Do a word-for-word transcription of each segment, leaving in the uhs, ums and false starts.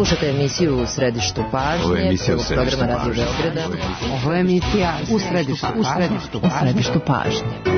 Slušate emisiju U središtu pažnje. Ovo je emisija U središtu pažnje. Ovo je emisija U središtu pažnje. U središtu pažnje.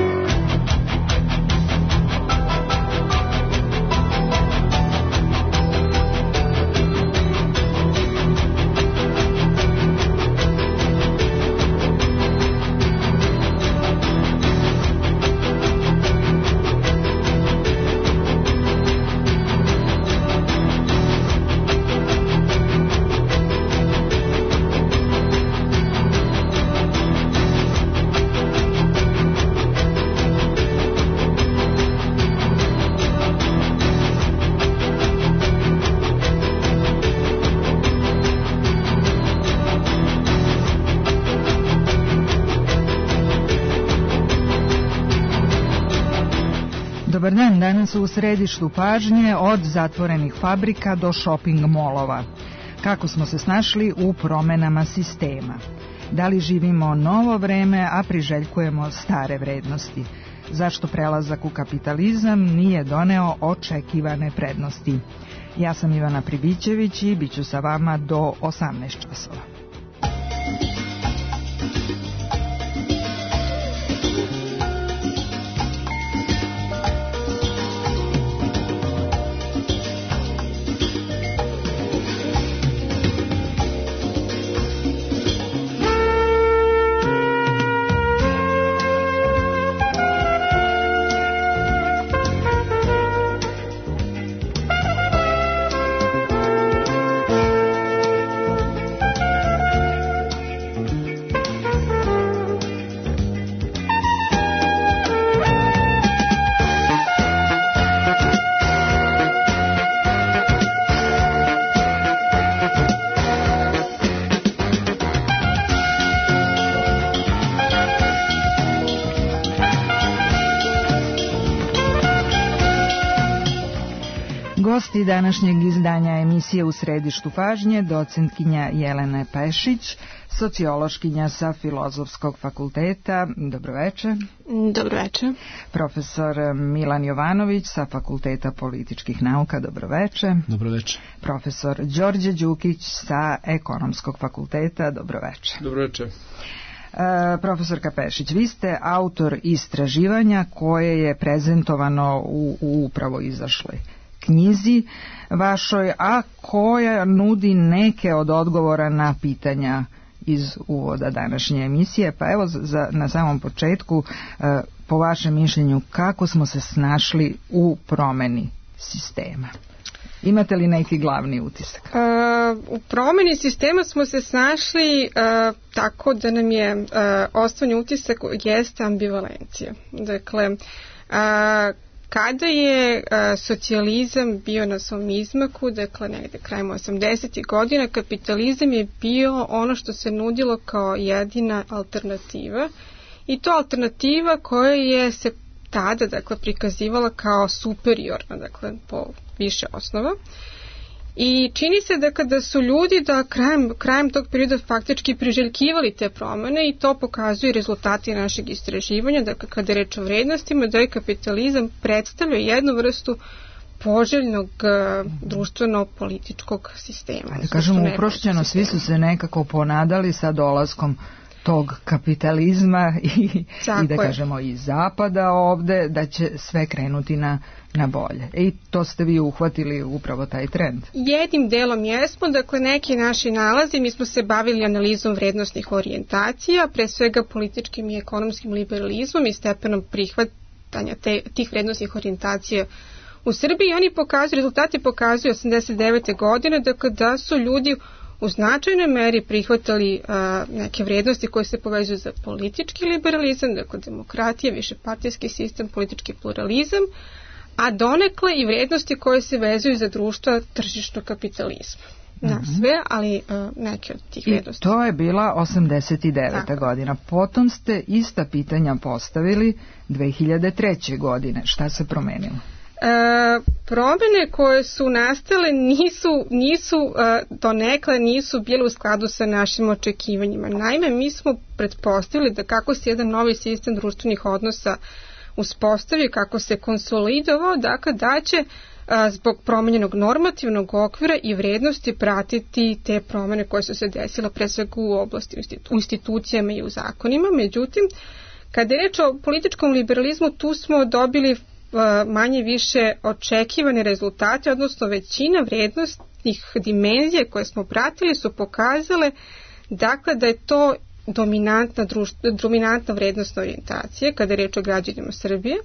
Dobar dan, danas u središtu pažnje od zatvorenih fabrika do shopping molova. Kako smo se snašli u promenama sistema? Da li živimo novo vreme, a priželjkujemo stare vrednosti? Zašto prelazak u kapitalizam nije doneo očekivane prednosti? Ja sam Ivana Pribićević i bit ću sa vama do osamnaest časova. Gosti današnjeg izdanja emisije U središtu pažnje, docentkinja Jelena Pešić, sociološkinja sa Filozofskog fakulteta. Dobroveče. Dobroveče. Profesor Milan Jovanović sa Fakulteta političkih nauka. Dobroveče. Dobroveče. Profesor Đorđe Đukić sa Ekonomskog fakulteta. Dobroveče. Dobroveče. Uh, profesorka Pešić, vi ste autor istraživanja koje je prezentovano u, u upravo izašloj knjizi vašoj, a koja nudi neke od odgovora na pitanja iz uvoda današnje emisije. Pa evo za, na samom početku, e, po vašem mišljenju, kako smo se snašli u promeni sistema? Imate li neki glavni utisak? E, u promeni sistema smo se snašli e, tako da nam je e, osnovni utisak jeste ambivalencija. Dakle, e, kada je a, socijalizam bio na svom izmaku, dakle negde krajem osamdesetih godina, kapitalizam je bio ono što se nudilo kao jedina alternativa, i to alternativa koja je se tada dakle prikazivala kao superiorna, dakle po više osnova. I čini se da kada su ljudi da krajem, krajem tog perioda faktički priželjkivali te promene, i to pokazuju rezultati našeg istraživanja, da kada je reč o vrednostima, da je kapitalizam predstavlja jednu vrstu poželjnog uh, društveno-političkog sistema. Da kažemo uprošćeno, svi su se nekako ponadali sa dolaskom tog kapitalizma i, i da kažemo i zapada ovde, da će sve krenuti na, na bolje. I to ste vi uhvatili upravo taj trend. Jednim delom jesmo, dakle neki naši nalazi, mi smo se bavili analizom vrednostnih orijentacija, pre svega političkim i ekonomskim liberalizmom i stepenom prihvatanja te, tih vrednostnih orijentacija u Srbiji. Oni pokazuju, rezultati pokazuju osamdeset devete godine, dakle da su ljudi u značajnoj meri prihvatali a, neke vrednosti koje se povezuju za politički liberalizam, dakle demokratija, višepartijski sistem, politički pluralizam, a donekle i vrednosti koje se vezuju za društva tržišnog kapitalizma. Na mm-hmm. sve, ali a, neke od tih vrednosti. I to je bila osamdeset deveta Tako. godina. Potom ste ista pitanja postavili dve hiljade treće godine. Šta se promenilo? E, promjene koje su nastale nisu, nisu e, donekle nisu bile u skladu sa našim očekivanjima. Naime, mi smo pretpostavili da kako se jedan novi sistem društvenih odnosa uspostavio, kako se konsolidovao, dakle da će a, zbog promenjenog normativnog okvira i vrednosti pratiti te promene koje su se desile pre svega u oblasti u institucijama i u zakonima. Međutim, kada je reč o političkom liberalizmu, tu smo dobili manje više očekivane rezultate, odnosno većina vrednostnih dimenzija koje smo pratili su pokazale dakle da je to dominantna, društva, dominantna vrednostna orijentacija kada je reč o građanima Srbije.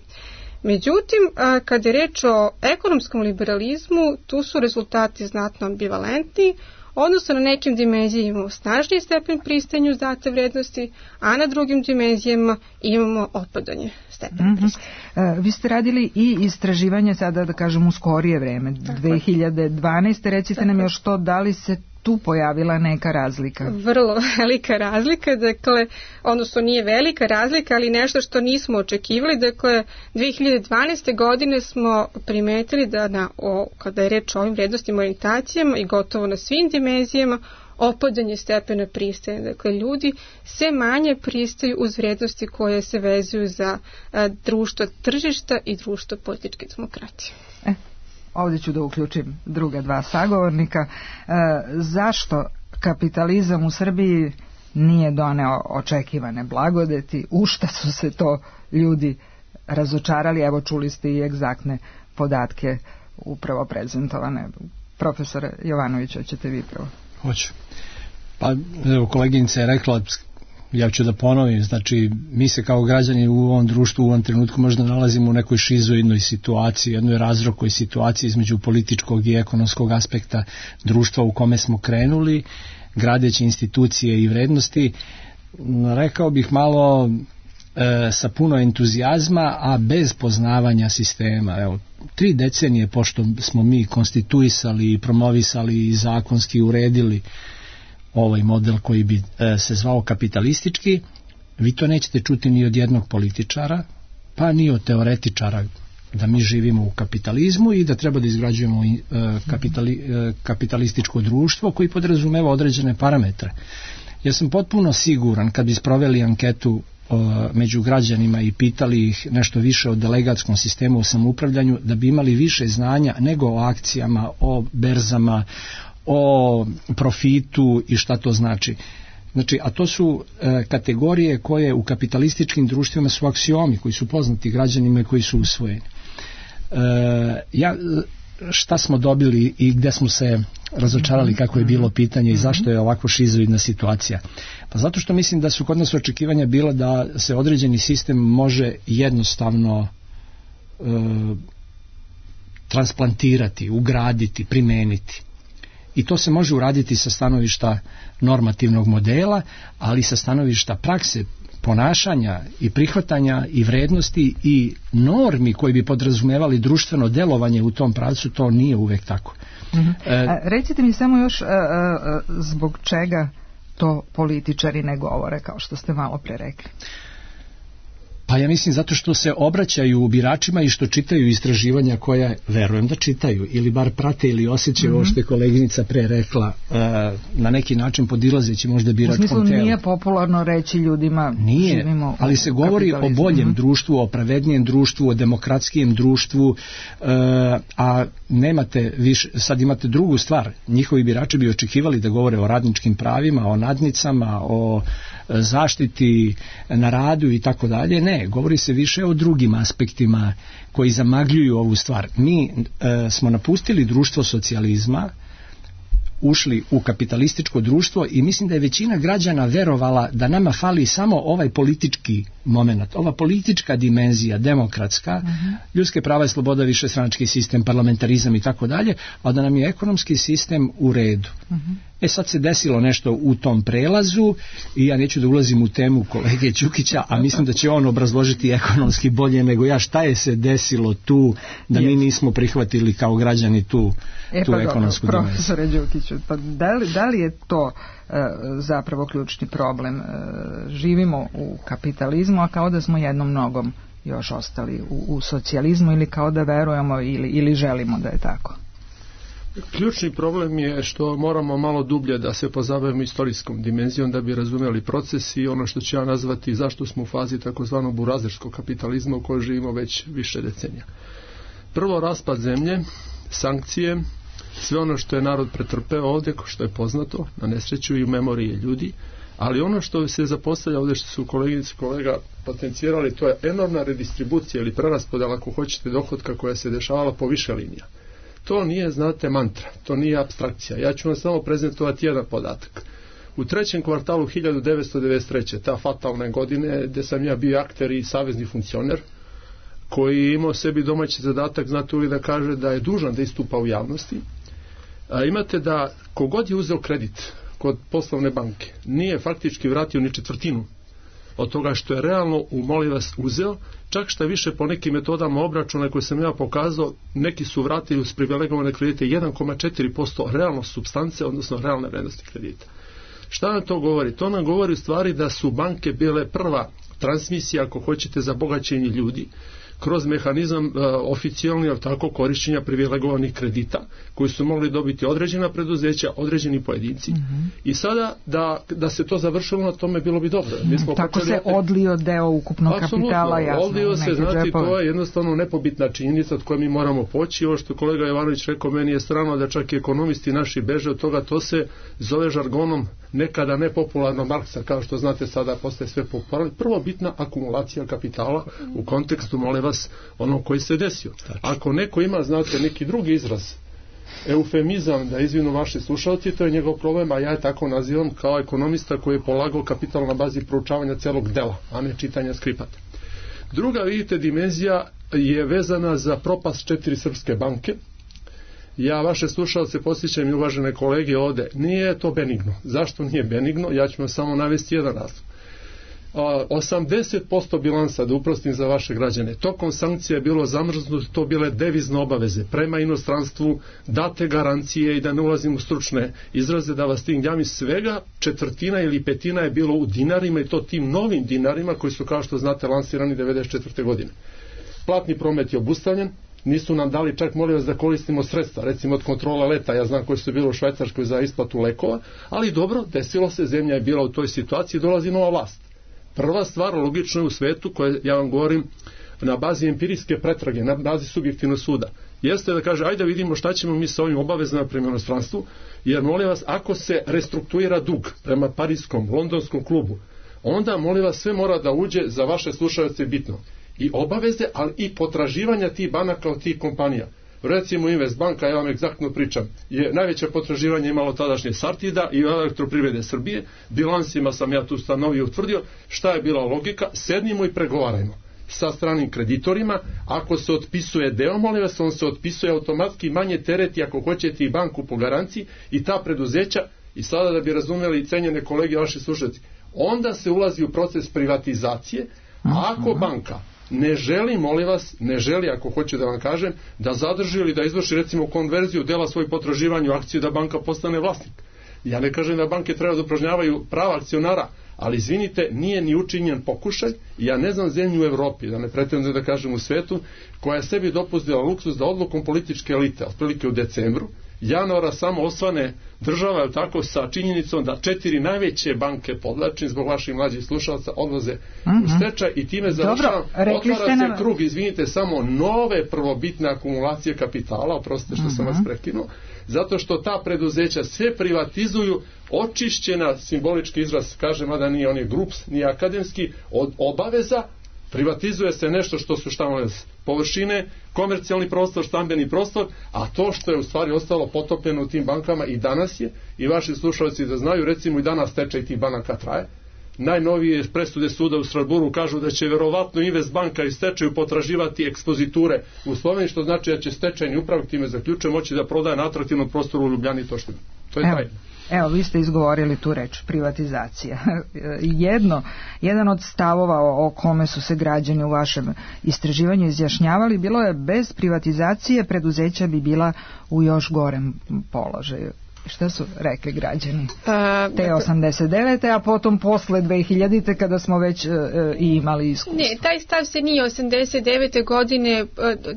Međutim, kada je reč o ekonomskom liberalizmu, tu su rezultati znatno ambivalentni, odnosno na nekim dimenzijama imamo snažniji stepen pristajanja uz date vrednosti, a na drugim dimenzijama imamo opadanje stepena mm-hmm. pristajanja. Vi ste radili i istraživanje sada, da kažem, u skorije vreme, tako dve hiljade dvanaeste. Recite tako nam još to, da li se tu pojavila neka razlika? Vrlo velika razlika, dakle, odnosno nije velika razlika, ali nešto što nismo očekivali. Dakle, dve hiljade dvanaeste. godine smo primetili da na, o, kada je reč o ovim vrednostnim orijentacijama i gotovo na svim dimenzijama, opadanje stepena pristajanja. Dakle, ljudi sve manje pristaju uz vrednosti koje se vezuju za a, društvo tržišta i društvo političke demokratije. E. Ovdje ću da uključim druga dva sagovornika. E, zašto kapitalizam u Srbiji nije doneo očekivane blagodeti? U šta su se to ljudi razočarali? Evo, čuli ste i egzaktne podatke upravo prezentovane. Profesor Jovanović, hoćete vi prvo? Hoću. Pa, evo, koleginica je rekla, ja ću da ponovim, znači mi se kao građani u ovom društvu u ovom trenutku možda nalazimo u nekoj šizoidnoj situaciji, jednoj razrokoj situaciji između političkog i ekonomskog aspekta društva u kome smo krenuli, gradeći institucije i vrednosti, rekao bih malo e, sa puno entuzijazma, a bez poznavanja sistema. Evo, tri decenije pošto smo mi konstituisali i promovisali i zakonski uredili ovaj model koji bi e, se zvao kapitalistički, vi to nećete čuti ni od jednog političara, pa ni od teoretičara da mi živimo u kapitalizmu i da treba da izgrađujemo e, kapitali, e, kapitalističko društvo koji podrazumeva određene parametre. Ja sam potpuno siguran kad bi sproveli anketu e, među građanima i pitali ih nešto više o delegatskom sistemu u samoupravljanju, da bi imali više znanja nego o akcijama, o berzama, o profitu i šta to znači. Znači, a to su e, kategorije koje u kapitalističkim društvima su aksiomi koji su poznati građanima i koji su usvojeni. E, ja, šta smo dobili i gde smo se razočarali, kako je bilo pitanje i zašto je ovako šizoidna situacija? Pa zato što mislim da su kod nas očekivanja bila da se određeni sistem može jednostavno e, transplantirati, ugraditi, primeniti. I to se može uraditi sa stanovišta normativnog modela, ali sa stanovišta prakse, ponašanja i prihvatanja i vrednosti i normi koji bi podrazumevali društveno delovanje u tom pravcu, to nije uvek tako. Mm-hmm. E, a, recite mi samo još a, a, zbog čega to političari ne govore, kao što ste malo pre rekli. Pa ja mislim zato što se obraćaju biračima i što čitaju istraživanja koja, verujem da čitaju, ili bar prate ili osjećaju mm-hmm. ovo što je koleginica pre rekla, uh, na neki način podilazeći možda biračkom telu. U smislu nije popularno reći ljudima nije, živimo ali se govori o boljem mm-hmm. društvu, o pravednijem društvu, o demokratskijem društvu, uh, a nemate više, sad imate drugu stvar, njihovi birači bi očekivali da govore o radničkim pravima, o nadnicama, o zaštiti na radu i tako dalje. Ne, govori se više o drugim aspektima koji zamagljuju ovu stvar. Mi e, smo napustili društvo socijalizma, ušli u kapitalističko društvo i mislim da je većina građana verovala da nama fali samo ovaj politički moment, ova politička dimenzija, demokratska, uh-huh. ljudske prava i sloboda, višestranački sistem, parlamentarizam i tako dalje, a da nam je ekonomski sistem u redu. Uh-huh. E sad se desilo nešto u tom prelazu i ja neću da ulazim u temu kolege Đukića, a mislim da će on obrazložiti ekonomski bolje nego ja šta je se desilo tu da mi nismo prihvatili kao građani tu, e, tu pa ekonomsku dobro, dimenziju. Profesore Đukiću, pa da li, da li je to e, zapravo ključni problem? E, živimo u kapitalizmu, a kao da smo jednom nogom još ostali u, u socijalizmu ili kao da verujemo ili, ili želimo da je tako? Ključni problem je što moramo malo dublje da se pozabavimo istorijskom dimenzijom da bi razumeli proces i ono što ću ja nazvati zašto smo u fazi takozvanog burazerskog kapitalizma u kojoj živimo već više decenija. Prvo, raspad zemlje sankcije, sve ono što je narod pretrpeo ovdje, što je poznato, na nesreću i u memoriji ljudi, ali ono što se zapostavlja ovdje, što su koleginici kolega potencijirali, to je enormna redistribucija ili preraspodjela, ako hoćete, dohotka koja se dešavala po više linija. To nije, znate, mantra, to nije apstrakcija. Ja ću vam samo prezentovati jedan podatak. U trećem kvartalu hiljadu devetsto devedeset treće. ta fatalne godine, gdje sam ja bio akter i savezni funkcioner, koji je imao sebi domaći zadatak, znate, uvijek da kaže da je dužan da istupa u javnosti. A imate da kogod je uzeo kredit kod poslovne banke, nije faktički vratio ni četvrtinu od toga što je realno u molim vas uzeo, čak šta više po nekim metodama obračuna koje sam ja pokazao, neki su vratili uz privilegovane kredite jedan zarez četiri posto realno supstance, odnosno realne vrednosti kredita. Šta nam to govori? To nam govori u stvari da su banke bile prva transmisija, ako hoćete, za bogaćenje ljudi kroz mehanizam uh, oficijalni, ali tako, korišćenja privilegovanih kredita koji su mogli dobiti određena preduzeća, određeni pojedinci. Mm-hmm. I sada da, da se to završilo na tome, bilo bi dobro. Mi smo tako počeli, se odlio deo ukupnog kapitala, jasno. Odlio se, znači, to je jednostavno nepobitna činjenica od koje mi moramo poći. Ovo što kolega Jovanović rekao, meni je strano da čak i ekonomisti naši beže od toga, to se zove žargonom nekada nepopularno Marksa, kao što znate sada postaje sve popularno. Prvo bitna akumulacija kapitala u kontekstu, molim vas, ono koji se desio. Ako neko ima, znate, neki drugi izraz, eufemizam, da izvinu vaši slušalci, to je njegov problem, a ja je tako nazivam kao ekonomista koji je polagao kapital na bazi proučavanja celog dela, a ne čitanja skripata. Druga, vidite, dimenzija je vezana za propast četiri srpske banke. Ja vaše slušalce posjećam i uvažene kolege ovde, nije to benigno. Zašto nije benigno? Ja ću vam samo navesti jedan razlog. osamdeset posto bilansa, da uprostim za vaše građane, tokom sankcija je bilo zamrznuto, to bile devizne obaveze prema inostranstvu, date garancije, i da ne ulazim u stručne izraze da vas tim javim, svega četvrtina ili petina je bilo u dinarima, i to tim novim dinarima koji su, kao što znate, lansirani devedeset četvrte godine. Platni promet je obustavljen, nisu nam dali čak, molim vas, da koristimo sredstva, recimo od kontrola leta, ja znam koji su bili u Švajcarskoj za isplatu lekova, ali dobro, desilo se, zemlja je bila u toj situaciji, dolazi nova vlast. Prva stvar, logično je u svetu, koje ja vam govorim na bazi empirijske pretrage, na bazi subjektivnog suda, jeste da kaže, ajde da vidimo šta ćemo mi sa ovim obavezama prema inostranstvu, jer, molim vas, ako se restruktuira dug prema parijskom, londonskom klubu, onda, molim vas, sve mora da uđe, za vaše slušalce bitno, i obaveze, ali i potraživanja tih banaka od tih kompanija. Recimo Investbanka, ja vam egzaktno pričam, je najveće potraživanje imalo tadašnje Sartida i Elektroprivrede Srbije. Bilansima sam ja tu stanovio, utvrdio šta je bila logika. Sednimo i pregovarajmo sa stranim kreditorima. Ako se otpisuje deo, molim vas, on se otpisuje automatski, manje tereti ako hoćete i banku po garanciji i ta preduzeća. I sada, da bi razumeli, cenjene kolege, vaši slušalci, onda se ulazi u proces privatizacije. A ako banka ne želi, molim vas, ne želi, ako hoće da vam kažem, da zadrži ili da izvrši, recimo, konverziju dela svojih potraživanja u akciju, da banka postane vlasnik. Ja ne kažem da banke treba da upražnjavaju prava akcionara, ali izvinite, nije ni učinjen pokušaj. Ja ne znam zemlju u Evropi, da ne pretendujem da kažem u svetu, koja je sebi dopustila luksuz da odlukom političke elite, otprilike u decembru, januara, samo osvane država, je tako, sa činjenicom da četiri najveće banke, podlačim zbog vaših mlađih slušalaca, odlaze mm-hmm. u stečaj, i time završavam, otvara se nam... krug, izvinite, samo nove prvobitne akumulacije kapitala, oprostite što mm-hmm. sam vas prekinuo, zato što ta preduzeća sve privatizuju, očišćena, simbolički izraz, kažem, a da nije on je grups, nije akademski, od obaveza. Privatizuje se nešto što su, šta molim, površine, komercijalni prostor, stambeni prostor, a to što je u stvari ostalo potopljeno u tim bankama i danas je, i vaši slušalci da znaju, recimo i danas stečaj tih banaka traje. Najnovije presude suda u Strasburu kažu da će verovatno Investbanka i stečaju potraživati ekspoziture u Sloveniji, što znači da će stečajni upravnik, time zaključuje, moći da prodaje na atraktivnom prostoru u Ljubljani i Toštini. To je taj. Evo, vi ste izgovorili tu reč, privatizacija. Jedno, jedan od stavova o, o kome su se građani u vašem istraživanju izjašnjavali, bilo je, bez privatizacije preduzeća bi bila u još gorem položaju. Šta su rekli građani? Uh, Te osamdeset devete a potom posle dve hiljadite kada smo već uh, i imali iskustvo. Ne, taj stav se nije osamdeset devete godine uh,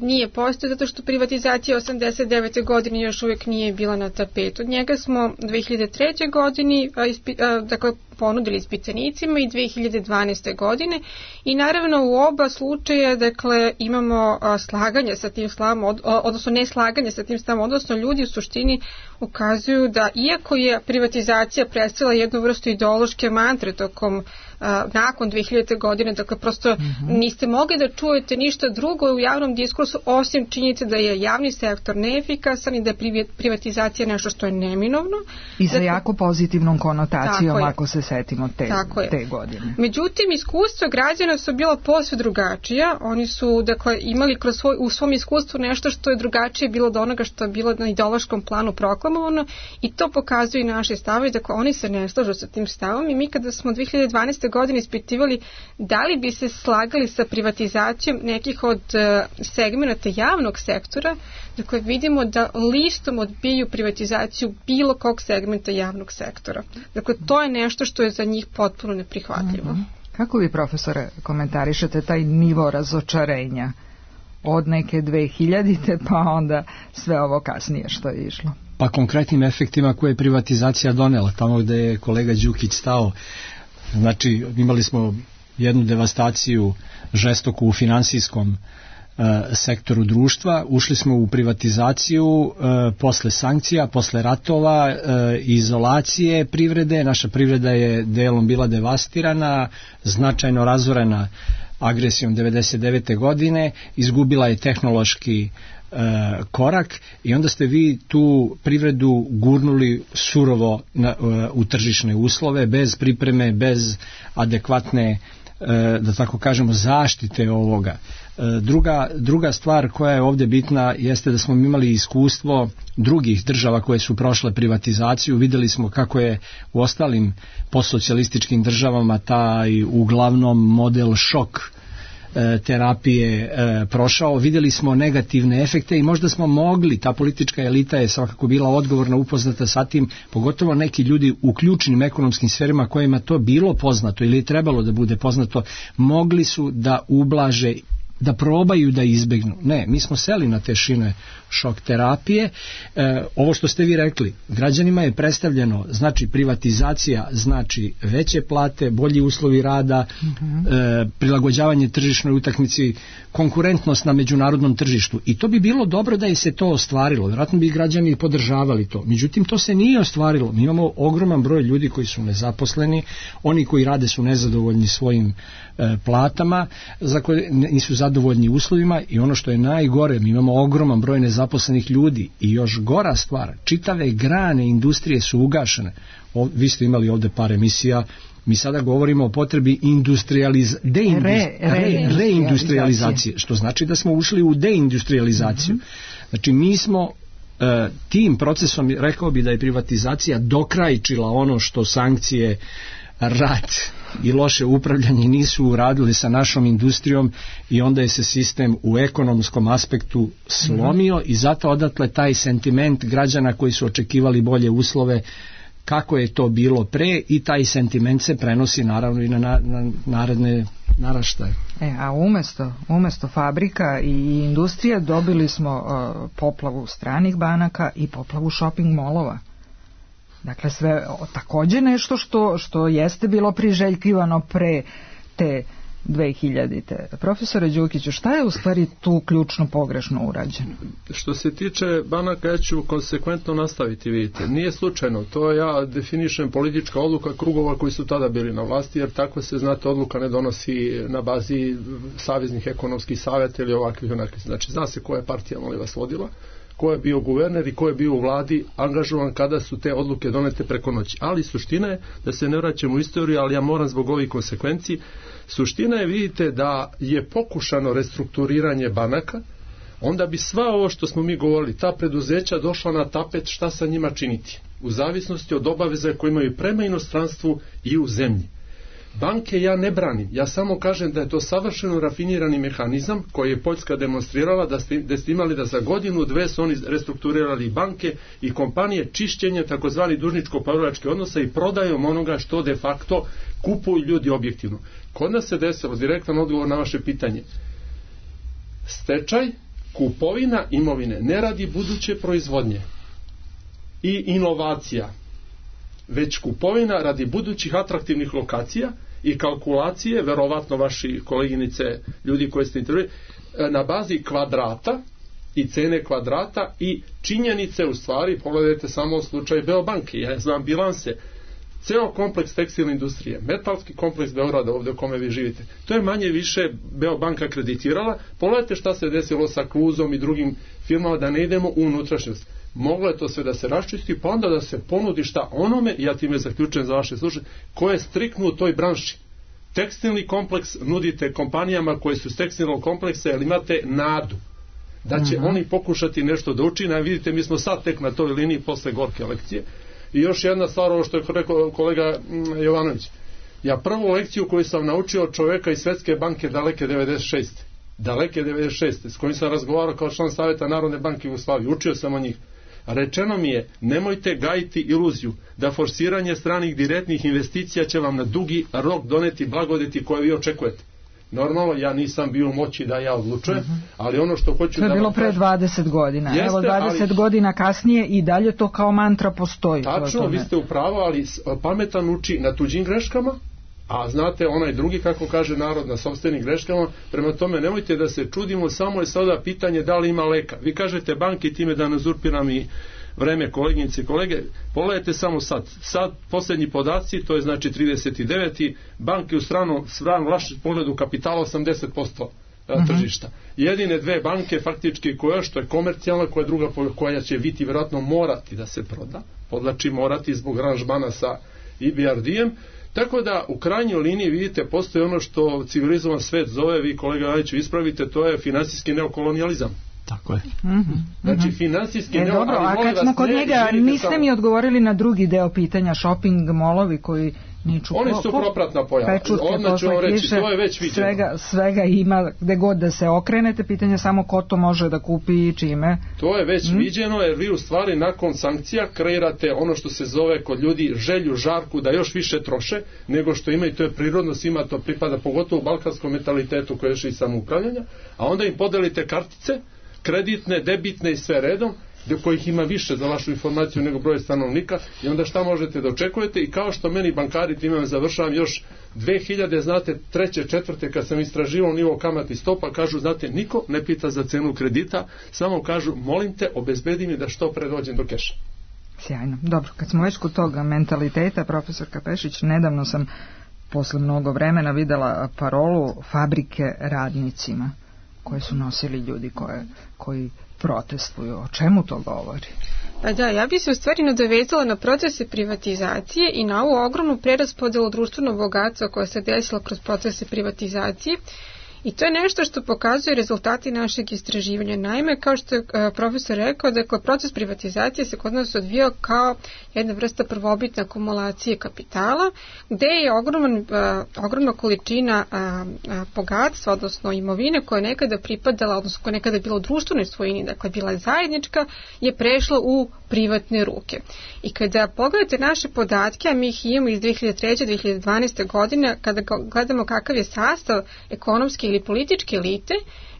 nije postojao, zato što privatizacija osamdeset devete godine još uvijek nije bila na tapetu. Od njega smo dve hiljade treće godine uh, ispi, uh, dakle ponudili ispitanicima i dve hiljade dvanaeste. godine i naravno u oba slučaja dakle imamo a, slaganje sa tim stavom, od, odnosno ne slaganje sa tim stavom, odnosno ljudi u suštini ukazuju da iako je privatizacija predstavila jednu vrstu ideološke mantre tokom a, nakon dve hiljadite. godine, dakle prosto mm-hmm. niste mogli da čujete ništa drugo u javnom diskursu osim činjenice da je javni sektor neefikasan i da je privatizacija nešto što je neminovno. I sa dakle, jako pozitivnom konotacijom ako se setimo te, te godine. Međutim, iskustva građana su bila posve drugačija. Oni su dakle imali kroz svoj, u svom iskustvu nešto što je drugačije bilo od onoga što je bilo na ideološkom planu proklamovano i to pokazuju i naše stavovi. Dakle, oni se ne slažu sa tim stavom i mi kada smo dve hiljade dvanaeste. godine ispitivali da li bi se slagali sa privatizacijom nekih od uh, segmenata javnog sektora, dakle vidimo da listom odbijaju privatizaciju bilo kog segmenta javnog sektora. Dakle, to je nešto što je za njih potpuno neprihvatljivo. Mm-hmm. Kako vi, profesore, komentarišete taj nivo razočarenja od neke dve hiljadite pa onda sve ovo kasnije što je išlo? Pa konkretnim efektima koje je privatizacija donela, tamo gde je kolega Đukić stao. Znači, imali smo jednu devastaciju žestoku u finansijskom e, sektoru društva, ušli smo u privatizaciju e, posle sankcija, posle ratova, e, izolacije privrede, naša privreda je delom bila devastirana, značajno razorena agresijom devedeset devete. godine, izgubila je tehnološki E, korak i onda ste vi tu privredu gurnuli surovo na, e, u tržišne uslove, bez pripreme, bez adekvatne, e, da tako kažemo, zaštite ovoga. E, druga, druga stvar koja je ovdje bitna jeste da smo imali iskustvo drugih država koje su prošle privatizaciju. Vidjeli smo kako je u ostalim postsocijalističkim državama taj uglavnom model šok terapije e, prošao, vidjeli smo negativne efekte i možda smo mogli, ta politička elita je svakako bila odgovorna, upoznata sa tim, pogotovo neki ljudi u ključnim ekonomskim sferima kojima to bilo poznato ili je trebalo da bude poznato, mogli su da ublaže, da probaju da izbegnu. Ne, mi smo seli na te šine šok terapije. E, ovo što ste vi rekli, građanima je predstavljeno, znači privatizacija, znači veće plate, bolji uslovi rada, mm-hmm. e, prilagođavanje tržišnoj utakmici, konkurentnost na međunarodnom tržištu. I to bi bilo dobro da je se to ostvarilo. Vjerojatno bi građani podržavali to. Međutim, to se nije ostvarilo. Mi imamo ogroman broj ljudi koji su nezaposleni, oni koji rade su nezadovoljni svojim e, platama, za koje nisu zadovoljni uslovima i ono što je najgore, mi imamo ogroman broj nezaposlenih ljudi i još gora stvar, čitave grane industrije su ugašene. O, vi ste imali ovde par emisija, mi sada govorimo o potrebi industrializ... deindust... re, re, reindustrializacije, što znači da smo ušli u deindustrializaciju. Mm-hmm. Znači mi smo e, tim procesom, rekao bi da je privatizacija dokrajčila ono što sankcije, rat i loše upravljanje nisu uradili sa našom industrijom i onda je se sistem u ekonomskom aspektu slomio mm-hmm. i zato odatle taj sentiment građana koji su očekivali bolje uslove kako je to bilo pre i taj sentiment se prenosi naravno i na, na, na naredne naraštaje. E, a umesto, umesto fabrika i industrije dobili smo uh, poplavu stranih banaka i poplavu shopping molova. Dakle, sve takođe nešto što, što jeste bilo priželjkivano pre te dve hiljadite. Profesore Đukiću, šta je u stvari tu ključno pogrešno urađeno? Što se tiče banaka, ja ću konsekventno nastaviti, vidite. Nije slučajno, to ja definišem politička odluka krugova koji su tada bili na vlasti, jer tako se, znate, odluka ne donosi na bazi saveznih ekonomskih savjeta ili ovakvih onakvih. Znači, zna se koja je partija, molim vas, vodila, ko je bio guverner i ko je bio u vladi angažovan kada su te odluke donete preko noći. Ali suština je, da se ne vraćamo u istoriju, ali ja moram zbog ovih konsekvenciji, suština je, vidite, da je pokušano restrukturiranje banaka, onda bi sva ovo što smo mi govorili, ta preduzeća došla na tapet šta sa njima činiti, u zavisnosti od obaveza koje imaju prema inostranstvu i u zemlji. Banke ja ne branim, ja samo kažem da je to savršeno rafinirani mehanizam koji je Poljska demonstrirala, da ste, da ste imali da za godinu, dve su oni restrukturirali banke i kompanije, čišćenje takozvani dužničko-poverilačkih odnosa i prodajom onoga što de facto kupuju ljudi objektivno. Kod nas se desilo, direktan odgovor na vaše pitanje, stečaj, kupovina imovine ne radi buduće proizvodnje i inovacija već kupovina radi budućih atraktivnih lokacija i kalkulacije, verovatno vaši koleginice, ljudi koji ste intervjuili, na bazi kvadrata i cene kvadrata i činjenice, u stvari, pogledajte samo slučaj Beobanke, ja znam bilanse, ceo kompleks tekstilne industrije, metalski kompleks Beograda, ovdje u kome vi živite, to je manje više Beobanka kreditirala. Pogledajte šta se desilo sa Kluzom i drugim firmama, da ne idemo u unutrašnjost. Moglo je to sve da se raščisti, pa onda da se ponudi šta onome, ja time zaključujem za vaše slušanje, ko je striktno u toj branši. Tekstilni kompleks nudite kompanijama koje su iz tekstilnog kompleksa, jer imate nadu da će uh-huh. oni pokušati nešto da učine, a vidite, mi smo sad tek na toj liniji posle gorke lekcije. I još jedna stvar, ovo što je rekao kolega Jovanović, ja prvu lekciju koju sam naučio od čoveka iz Svetske banke daleke devedeset šeste daleke devedeset šeste s kojim sam razgovarao kao član Saveta Narodne banke Jugoslavije, učio sam o njih. Rečeno mi je, nemojte gajiti iluziju da forsiranje stranih direktnih investicija će vam na dugi rok doneti blagodeti koje vi očekujete. Normalno, ja nisam bio u moći da ja odlučujem, uh-huh. ali ono što hoću da... To je bilo pre dvadeset godina. Jeste, evo dvadeset ali... godina kasnije i dalje to kao mantra postoji. Tačno, vi ste u pravu, ali pametan uči na tuđim greškama, a znate, onaj drugi, kako kaže narod, na sopstvenim greškama. Prema tome, nemojte da se čudimo, samo je sada pitanje da li ima leka. Vi kažete banki, time da ne uzurpiram i vreme koleginice i kolege, pogledajte samo sad. Sad, posljednji podaci, to je znači trideset deveti banke u stranu, stranu vašem pogledu kapitala osamdeset posto uh-huh. tržišta. Jedine dve banke, faktički koja, što je komercijalna, koja je druga, koja će biti vjerojatno morati da se proda, podlači morati zbog aranžmana sa I B R D-em. Tako da u krajnjoj liniji vidite, postoji ono što civilizovan svet zove, vi kolega Ajiću ispravite, to je finansijski neokolonijalizam. Tako je. Mm-hmm. Znači finansijski e, neo... Dobro, a kad smo kod njega, niste samo... mi odgovorili na drugi deo pitanja, shopping molovi koji niču... Oni su propratna pojava. Odmah ću vam reći, to je već viđeno. Svega, svega ima, gde god da se okrenete, pitanje samo ko to može da kupi i čime. To je već mm. viđeno, jer vi u stvari nakon sankcija kreirate ono što se zove kod ljudi želju, žarku, da još više troše nego što ima, i to je prirodno, svima to pripada, pogotovo u balkanskom mentalitetu koje je još i samoupravljanja, a onda im podelite kartice, kreditne, debitne i sve redom, do kojih ima više za vašu informaciju nego broj stanovnika, i onda šta možete da očekujete. I kao što meni bankari, time završavam, još dve hiljade, znate, treće, četvrte, kad sam istraživao nivo kamati stopa, kažu, znate, niko ne pita za cenu kredita, samo kažu, molim te, obezbedi mi da što pre dođem do keša. Sjajno. Dobro, kad smo već kod toga mentaliteta, profesor Kapešić, nedavno sam posle mnogo vremena videla parolu fabrike radnicima, koje su nosili ljudi koje, koji protestuju. O čemu to govori? Pa da, ja bih se u stvari nadovezala na procese privatizacije i na ovu ogromnu preraspodelu društvenog bogatstva koja se desila kroz procese privatizacije. I to je nešto što pokazuje rezultati našeg istraživanja. Naime, kao što je profesor rekao, dakle, proces privatizacije se kod nas odvijao kao jedna vrsta prvobitne akumulacije kapitala, gde je ogroman, ogromna količina bogatstva, odnosno imovine koja je nekada pripadala, odnosno koja je nekada bila u društvenoj svojini, dakle bila zajednička, je prešla u privatne ruke. I kada pogledate naše podatke, a mi ih imamo iz dve hiljade treće do dve hiljade dvanaeste. godine, kada gledamo kakav je sastav ekonomske ili političke elite,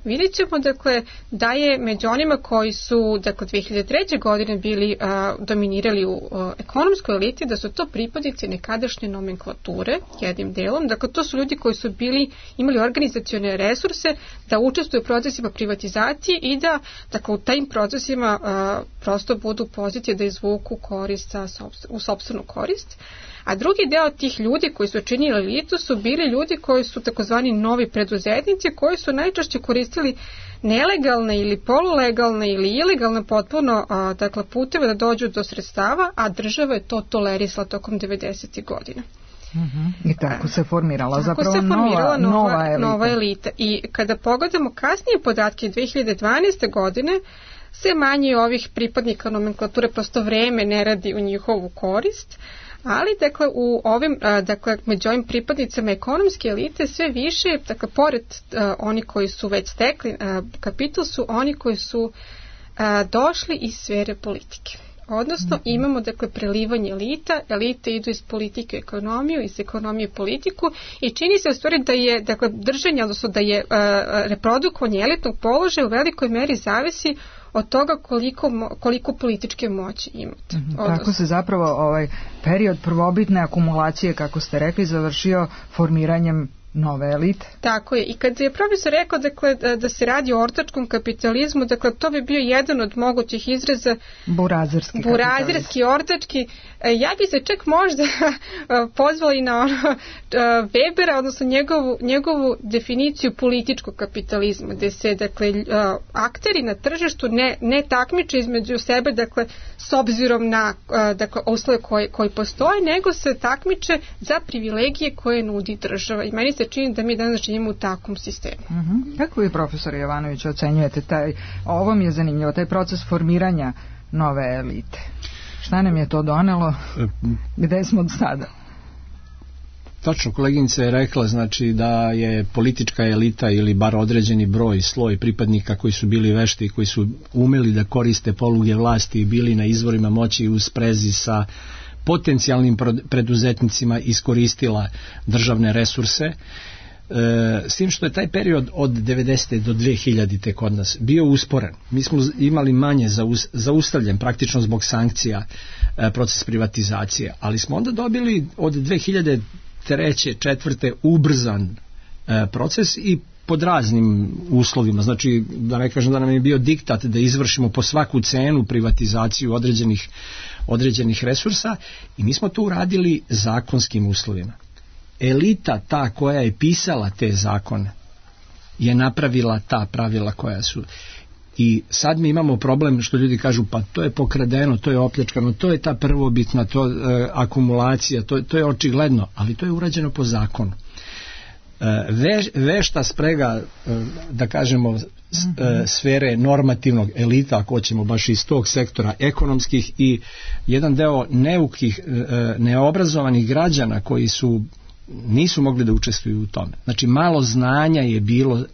vidjet ćemo, dakle, da je među onima koji su, dakle, dve hiljade treće. godine bili a, dominirali u a, ekonomskoj eliti, da su to pripadnici nekadašnje nomenklature, jednim delom. Dakle, to su ljudi koji su bili, imali organizacione resurse da učestvuju u procesima privatizacije i da, dakle, u tajim procesima a, prosto budu pozicije da izvuku korist sa, u sopstvenu korist. A drugi deo tih ljudi koji su činili elitu su bili ljudi koji su takozvani novi preduzetnici, koji su najčešće koristili nelegalne ili polulegalne ili ilegalne potpuno a, dakle, puteve da dođu do sredstava, a država je to tolerisala tokom devedesetih godina. Uh-huh. I tako se formirala tako zapravo se formirala nova, nova, nova, elita. nova elita. I kada pogledamo kasnije podatke dve hiljade dvanaeste. godine, sve manje ovih pripadnika nomenklature, prosto vreme ne radi u njihovu korist. Ali, dakle, u ovim, dakle, među ovim pripadnicama ekonomske elite sve više, dakle, pored uh, oni koji su već stekli uh, kapital, su oni koji su uh, došli iz sfere politike. Odnosno, mm-hmm. imamo, dakle, prelivanje elita, elite idu iz politike u ekonomiju, iz ekonomije u politiku, i čini se u stvari da je, dakle, držanje, odnosno da je uh, reprodukovanje elitnog položaja u velikoj meri zavisi od toga koliko, koliko političke moći imate. Mm-hmm. Tako se zapravo ovaj period prvobitne akumulacije, kako ste rekli, završio formiranjem nove elite. Tako je. I kad je profesor rekao dakle, da, da se radi o ortačkom kapitalizmu, dakle to bi bio jedan od mogućih izraza burazerski, burazerski ortački. Ja bi se čak možda pozvala i na ono, Webera, odnosno njegovu, njegovu definiciju političkog kapitalizma, gde se dakle, akteri na tržištu ne, ne takmiče između sebe, dakle, s obzirom na dakle, uslove koji, koji postoje, nego se takmiče za privilegije koje nudi država. I meni se čini da mi danas živimo u takvom sistemu. Uh-huh. Kako vi, profesor Jovanović, ocenjujete taj, ovo mi je zanimljivo, taj proces formiranja nove elite? Šta nam je to donelo? Gde smo od sada? Tačno, koleginica je rekla, znači da je politička elita ili bar određeni broj, sloj pripadnika koji su bili vešti, koji su umeli da koriste poluge vlasti i bili na izvorima moći u sprezi sa potencijalnim preduzetnicima, iskoristila državne resurse. E, s tim što je taj period od devedesete do dve hiljadite kod nas bio usporen. Mi smo imali manje zaus, zaustavljen praktično zbog sankcija e, proces privatizacije, ali smo onda dobili od dve hiljade treće, četvrte ubrzan e, proces i pod raznim uslovima, znači da ne kažem da nam je bio diktat da izvršimo po svaku cenu privatizaciju određenih, određenih resursa i mi smo to uradili zakonskim uslovima. Elita, ta koja je pisala te zakone, je napravila ta pravila koja su. I sad mi imamo problem što ljudi kažu pa to je pokradeno, to je opljačkano, to je ta prvobitna to, e, akumulacija, to, to je očigledno, ali to je urađeno po zakonu. Ve, vešta sprega, da kažemo, sfere normativnog elita, ako hoćemo baš iz tog sektora ekonomskih i jedan deo neukih, neobrazovanih građana koji su nisu mogli da učestvuju u tome. Znači malo znanja je bilo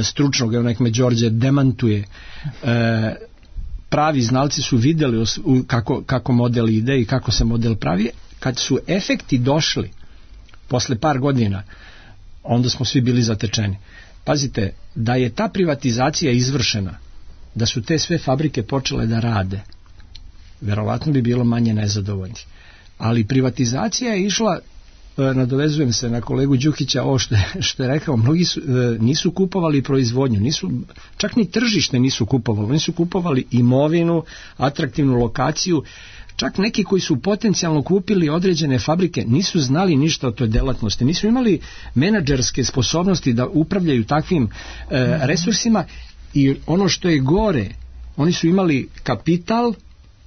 stručnog, evo nek me Đorđe demantuje, pravi znalci su vidjeli kako, kako model ide i kako se model pravi. Kad su efekti došli posle par godina, onda smo svi bili zatečeni. Pazite, da je ta privatizacija izvršena, da su te sve fabrike počele da rade, verovatno bi bilo manje nezadovoljnih. Ali privatizacija je išla, nadovezujem se na kolegu Đukića, ovo što je, što je rekao, mnogi su, nisu kupovali proizvodnju, nisu, čak ni tržište nisu kupovali, nisu kupovali imovinu, atraktivnu lokaciju. Čak neki koji su potencijalno kupili određene fabrike nisu znali ništa o toj delatnosti, nisu imali menadžerske sposobnosti da upravljaju takvim e, resursima i ono što je gore, oni su imali kapital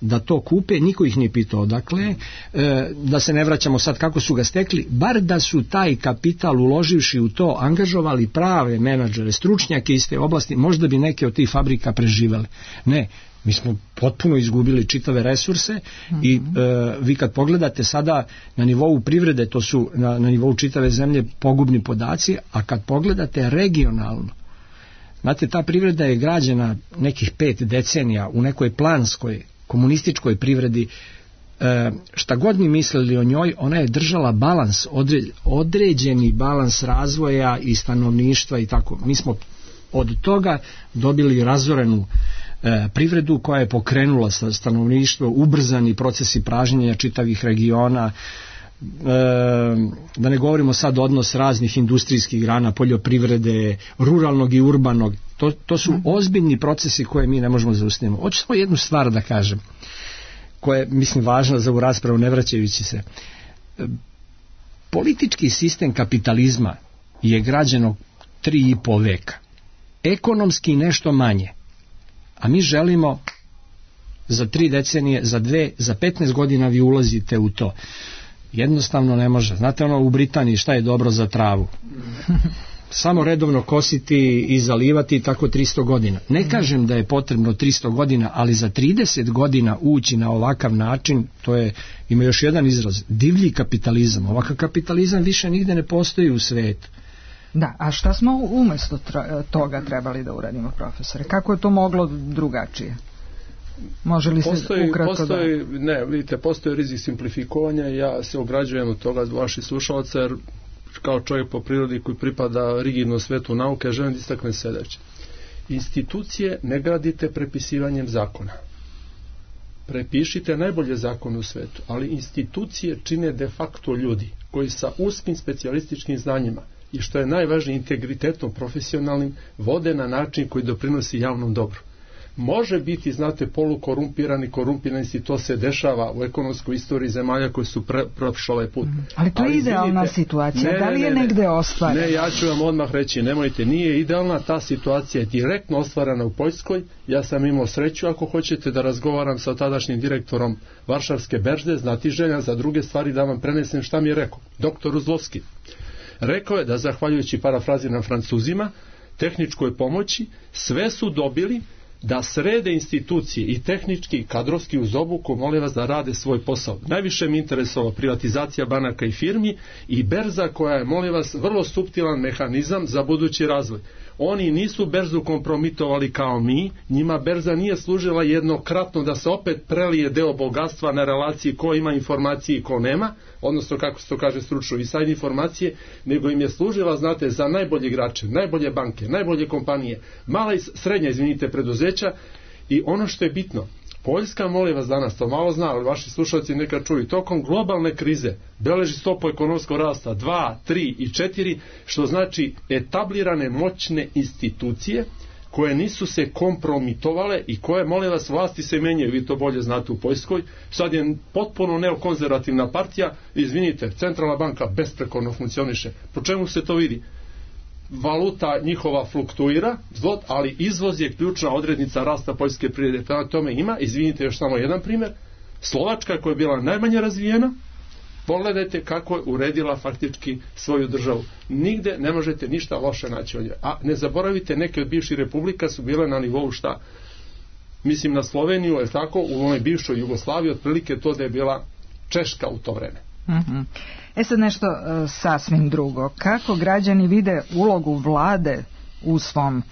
da to kupe, niko ih nije pitao odakle, e, da se ne vraćamo sad kako su ga stekli, bar da su taj kapital uloživši u to angažovali prave menadžere, stručnjake iz te oblasti, možda bi neke od tih fabrika preživele. Ne, mi smo potpuno izgubili čitave resurse mm-hmm. i e, vi kad pogledate sada na nivou privrede, to su na, na nivou čitave zemlje pogubni podaci, a kad pogledate regionalno, znate, ta privreda je građena nekih pet decenija u nekoj planskoj komunističkoj privredi, e, šta god mi mislili o njoj, ona je držala balans, odre, određeni balans razvoja i stanovništva i tako. Mi smo od toga dobili razorenu e, privredu koja je pokrenula stanovništvo, ubrzani procesi pražnjenja čitavih regiona, e, da ne govorimo sad odnos raznih industrijskih grana, poljoprivrede, ruralnog i urbanog. To, to su ozbiljni procesi koje mi ne možemo zaustaviti. Hoću samo jednu stvar da kažem, koja je, mislim, važna za ovu raspravu, ne vraćajući se. E, politički sistem kapitalizma je građeno tri i po veka. Ekonomski nešto manje. A mi želimo za tri decenije, za dve, za petnaest godina vi ulazite u to. Jednostavno ne može. Znate ono u Britaniji šta je dobro za travu? Samo redovno kositi i zalivati tako tristo godina. Ne kažem da je potrebno tristo godina, ali za trideset godina ući na ovakav način, to je, ima još jedan izraz, divlji kapitalizam. Ovakav kapitalizam više nigde ne postoji u svetu. Da, a šta smo umjesto toga trebali da uradimo, profesore? Kako je to moglo drugačije? Može li postoji, se ukratko postoji, da... Ne, vidite, postoji rizik simplifikovanja i ja se ograđujem od toga vaših slušalaca, jer kao čovjek po prirodi koji pripada rigidnom svetu nauke, želim da istaknem sljedeće. institucije ne gradite prepisivanjem zakona. Prepišite najbolje zakone u svetu, ali institucije čine de facto ljudi koji sa uskim specijalističkim znanjima i što je najvažnije integritetom profesionalnim vode na način koji doprinosi javnom dobru. Može biti, znate, polukorumpirani, korumpirani, i to se dešava u ekonomskoj istoriji zemalja koji su pre, prošli ovaj put. Mm. Ali to je idealna situacija, ne, da li je ne, ne, negde ostvarena? Ne, ja ću vam odmah reći, nemojte, nije idealna, ta situacija je direktno ostvarena u Poljskoj. Ja sam imao sreću, ako hoćete, da razgovaram sa tadašnjim direktorom Varšavske berze, znati želja za druge stvari da vam prenesem šta mi je rekao. Doktor Uzlovski. Rekao je da, zahvaljujući parafraziram Francuzima, tehničkoj pomoći, sve su dobili da srede institucije i tehnički i kadrovski uz obuku, molim vas da rade svoj posao. Najviše mi interesovalo privatizacija banaka i firmi i berza koja je, molim vas, vrlo suptilan mehanizam za budući razvoj. Oni nisu berzu kompromitovali kao mi, njima berza nije služila jednokratno da se opet prelije deo bogatstva na relaciji ko ima informacije i ko nema, odnosno kako se to kaže stručno i sajne informacije, nego im je služila, znate, za najbolje igrače, najbolje banke, najbolje kompanije, mala i srednja, izvinite, preduzeća. I ono što je bitno, Poljska, molim vas danas, to malo zna, ali vaši slušalci neka čuju, tokom globalne krize beleži stopu ekonomskog rasta dva, tri i četiri, što znači etablirane moćne institucije koje nisu se kompromitovale i koje, molim vas, vlasti se menjaju, vi to bolje znate u Poljskoj. Sad je potpuno neokonzervativna partija, izvinite, centralna banka besprekorno funkcioniše. Po čemu se to vidi? Valuta njihova fluktuira, ali izvoz je ključna odrednica rasta poljske privrede. Prema tome ima, izvinite, još samo jedan primjer, Slovačka koja je bila najmanje razvijena, pogledajte kako je uredila faktički svoju državu. Nigde ne možete ništa loše naći od nje. A ne zaboravite, neke od bivših republika su bile na nivou šta? Mislim na Sloveniju, je tako, u onoj bivšoj Jugoslaviji, otprilike to da je bila Češka u to vreme. Mm-hmm. E sad nešto uh, sasvim drugo. Kako građani vide ulogu vlade u svom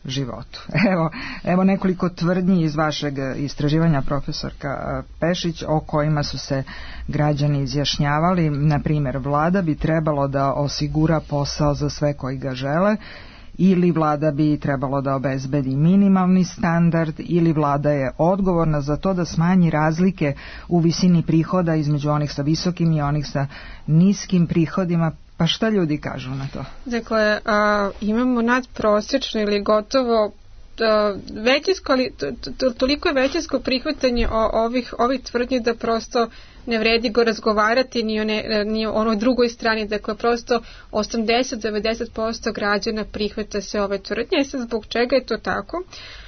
životu? Evo, evo nekoliko tvrdnji iz vašeg istraživanja, profesorka Pešić, o kojima su se građani izjašnjavali. Na primjer, vlada bi trebalo da osigura posao za sve koji ga žele, ili vlada bi trebalo da obezbedi minimalni standard, ili vlada je odgovorna za to da smanji razlike u visini prihoda između onih sa visokim i onih sa niskim prihodima. Pa šta ljudi kažu na to? Dakle, a, imamo nadprosječno ili gotovo a, većinsko, ali to, to, toliko je većinsko prihvatanje o, ovih, ovih tvrdnji da prosto ne vredi go razgovarati ni o, ne, ni o onoj drugoj strani. Dakle, prosto osamdeset do devedeset posto građana prihvata se ove tvrdnje. I sad zbog čega je to tako?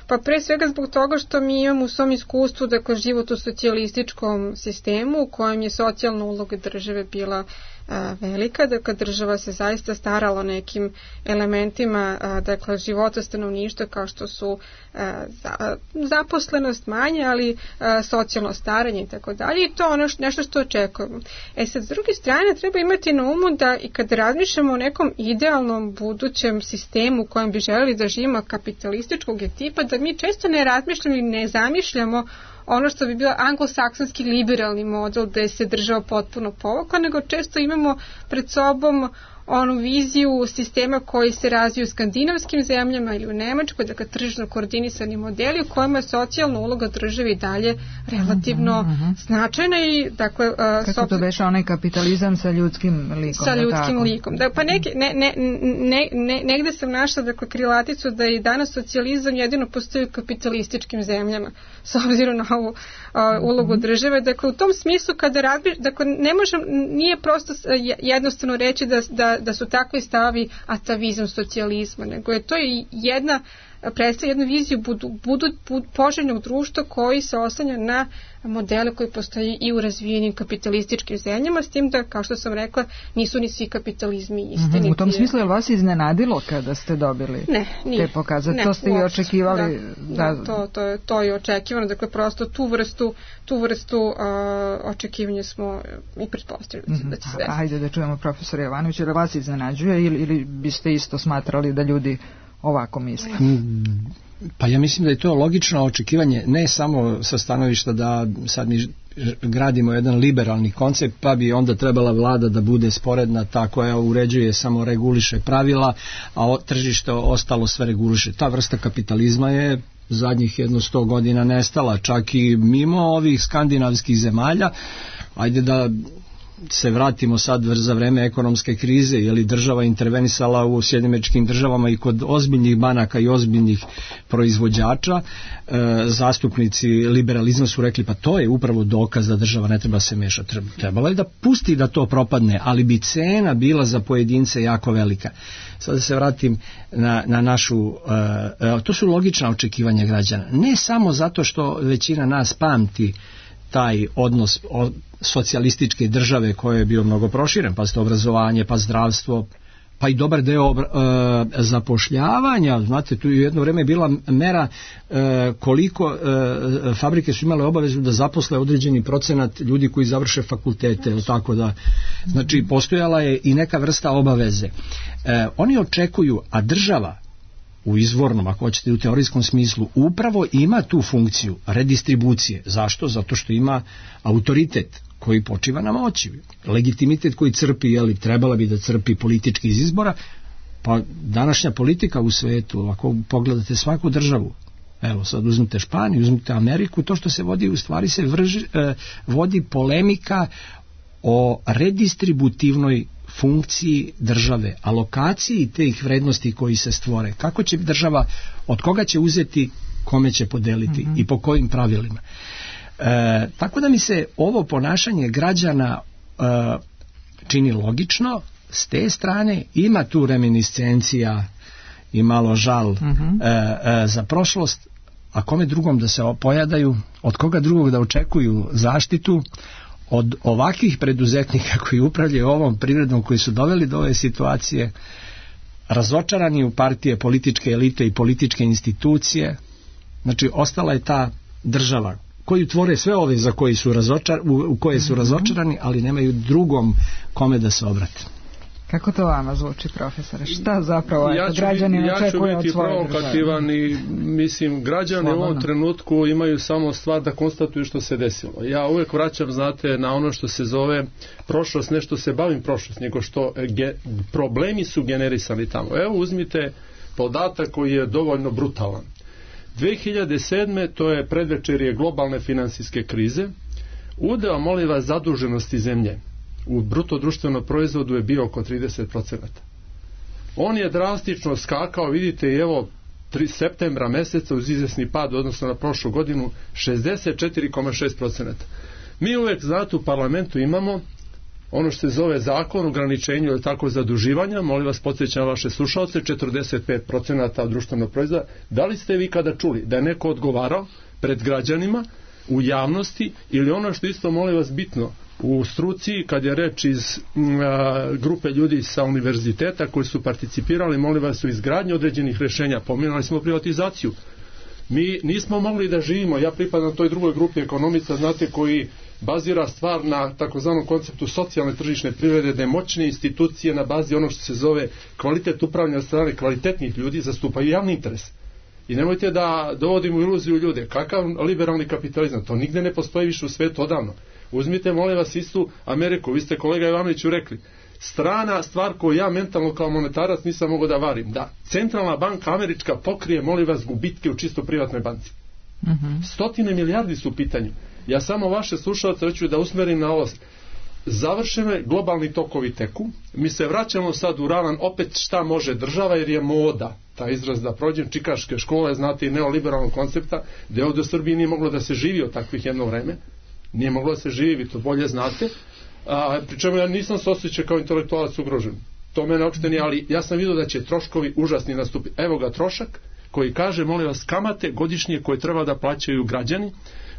Pa pre svega zbog toga što mi imamo u svom iskustvu, dakle, život u socijalističkom sistemu u kojem je socijalna uloga države bila a, velika, dakle država se zaista starala o nekim elementima a, dakle života stanovništva kao što su a, za, zaposlenost manje, ali a, socijalno staranje i tako dalje, i to ono š, nešto što očekujemo. E sad, s druge strane, treba imati na umu da i kad razmišljamo o nekom idealnom budućem sistemu u kojem bi želeli da živimo kapitalističkog tipa, da mi često ne razmišljamo i ne zamišljamo ono što bi bio anglosaksonski liberalni model gde se država potpuno povukla, nego često imamo pred sobom onu viziju sistema koji se razviju u skandinavskim zemljama ili u Nemačkoj, dakle tržišno koordinisani modeli u kojima je socijalna uloga države i dalje relativno mm-hmm. značajna i dakle... Uh, Kako sopst... to beše onaj kapitalizam sa ljudskim likom? Sa ljudskim tako. likom. Da, pa neke, ne, ne, ne, ne, negde sam našla dakle krilaticu da i danas socijalizam jedino postoji u kapitalističkim zemljama s obzirom na ovu uh, ulogu mm-hmm. države. Dakle, u tom smislu kada razbi... dakle, ne možem, nije prosto jednostavno reći da, da da su takvi stavi atavizam socijalizma, nego je to jedna predstavlja jednu viziju budu, budu, budu poželjnog društva koji se oslanja na modele koji postoji i u razvijenim kapitalističkim zemljama, s tim da, kao što sam rekla, nisu ni svi kapitalizmi isti. Mm-hmm. U tom smislu je li vas iznenadilo kada ste dobili ne, nije, te pokazati? To ste i očekivali? Da, da, to, to, je, to je očekivano. Dakle, prosto tu vrstu, tu vrstu uh, očekivanja smo i pretpostavili mm-hmm. da će sve. Ajde da čujemo profesora Jovanovića, ili vas iznenađuje ili, ili biste isto smatrali da ljudi ovako misle? Pa ja mislim da je to logično očekivanje, ne samo sa stanovišta da sad mi gradimo jedan liberalni koncept, pa bi onda trebala vlada da bude sporedna, ta koja uređuje, samo reguliše pravila, a tržište ostalo sve reguliše. Ta vrsta kapitalizma je zadnjih jedno sto godina nestala, čak i mimo ovih skandinavskih zemalja. Ajde da se vratimo sad za vreme ekonomske krize, je li država intervenisala u Sjedinjenim Američkim Državama i kod ozbiljnih banaka i ozbiljnih proizvođača. E, zastupnici liberalizma su rekli, pa to je upravo dokaz da država ne treba se mešati. Trebala je da pusti da to propadne, ali bi cena bila za pojedince jako velika. Sad da se vratim na, na našu, e, to su logična očekivanja građana. Ne samo zato što većina nas pamti taj odnos socijalističke države koji je bio mnogo proširen, pa ste obrazovanje, pa zdravstvo, pa i dobar deo obra, e, zapošljavanja. Znate, tu je jedno vreme bila mera e, koliko e, fabrike su imale obavezu da zaposle određeni procenat ljudi koji završe fakultete, tako da, znači postojala je i neka vrsta obaveze. E, oni očekuju, a država u izvornom, ako hoćete u teorijskom smislu, upravo ima tu funkciju redistribucije. Zašto? Zato što ima autoritet koji počiva na moći. Legitimitet koji crpi, jeli, trebala bi da crpi politički iz izbora, pa današnja politika u svetu, ako pogledate svaku državu, evo sad uzmite Španiju, uzmite Ameriku, to što se vodi, u stvari se vrži, eh, vodi polemika o redistributivnoj funkciji države, alokaciji tih vrednosti koji se stvore. Kako će država, od koga će uzeti, kome će podeliti mm-hmm. i po kojim pravilima. E, tako da mi se ovo ponašanje građana e, čini logično. S te strane ima tu reminiscencija i malo žal mm-hmm. e, e, za prošlost, a kome drugom da se pojadaju, od koga drugog da očekuju zaštitu, od ovakvih preduzetnika koji upravljaju ovom privredom, koji su doveli do ove situacije, razočarani u partije, političke elite i političke institucije. Znači ostala je ta država koju tvore sve ove za koji su razočar, u, u koje su razočarani, ali nemaju drugom kome da se obrate. Kako to vama zvuči, profesore? Šta zapravo ja ću, građani ja očekuju od svoje države? Ja ću biti provokativan i mislim, građani Slobodno. u ovom trenutku imaju samo stvar da konstatuju što se desilo. Ja uvijek vraćam, znate, na ono što se zove prošlost, ne što se bavim prošlost, nego što ge, problemi su generisani tamo. Evo uzmite podatak koji je dovoljno brutalan. dve hiljade sedme to je predvečerje globalne finansijske krize, udeo, molim vas, zaduženosti zemlje u bruto društvenom proizvodu je bio oko trideset procenata. On je drastično skakao, vidite, i evo tri septembra meseca uz izvesni pad odnosno na prošlu godinu šezdeset četiri zarez šest procenata. Mi uvek, znate, u parlamentu imamo ono što se zove zakon o ograničenju ili tako zaduživanja, molim vas, podsjećam vaše slušalce, četrdeset pet procenata društvenog proizvoda. Da li ste vi kada čuli da je neko odgovarao pred građanima u javnosti ili ono što isto, molim vas, bitno u struci, kad je reč iz a, grupe ljudi sa univerziteta koji su participirali, molim vas, u izgradnji određenih rješenja, pominjali smo privatizaciju. Mi nismo mogli da živimo, ja pripadam toj drugoj grupi ekonomista, znate, koji bazira stvar na takozvanom konceptu socijalne tržišne privrede, da moćne institucije na bazi onog što se zove kvalitet upravljanja strane kvalitetnih ljudi zastupaju javni interes. I nemojte da dovodimo iluziju ljude. Kakav liberalni kapitalizam? To nigde ne postoji više u svetu odavno. Uzmite, molim vas, istu Ameriku. Vi ste, kolega Ivanoviću, rekli, strana stvar koju ja mentalno kao monetarac nisam mogao da varim, da centralna banka američka pokrije, molim vas, gubitke u čisto privatnoj banci. Mm-hmm. Stotine milijardi su u pitanju. Ja samo vaše slušalce hoću da usmerim na ovo. Završeno je, globalni tokovi teku, mi se vraćamo sad u ravan opet šta može država, jer je moda, ta izraz da prođem, čikaške škole, znate, i neoliberalnog koncepta, da ovdje u Srbiji nije moglo da se živi od takvih jedno vreme, nije moglo da se živi, vi to bolje znate, a, pri čemu ja nisam se osjećao kao intelektualac ugrožen, to mene uopšte nije, ali ja sam vidio da će troškovi užasni nastupiti. Evo ga trošak koji kaže, molim vas, kamate godišnje koje treba da plaćaju građani,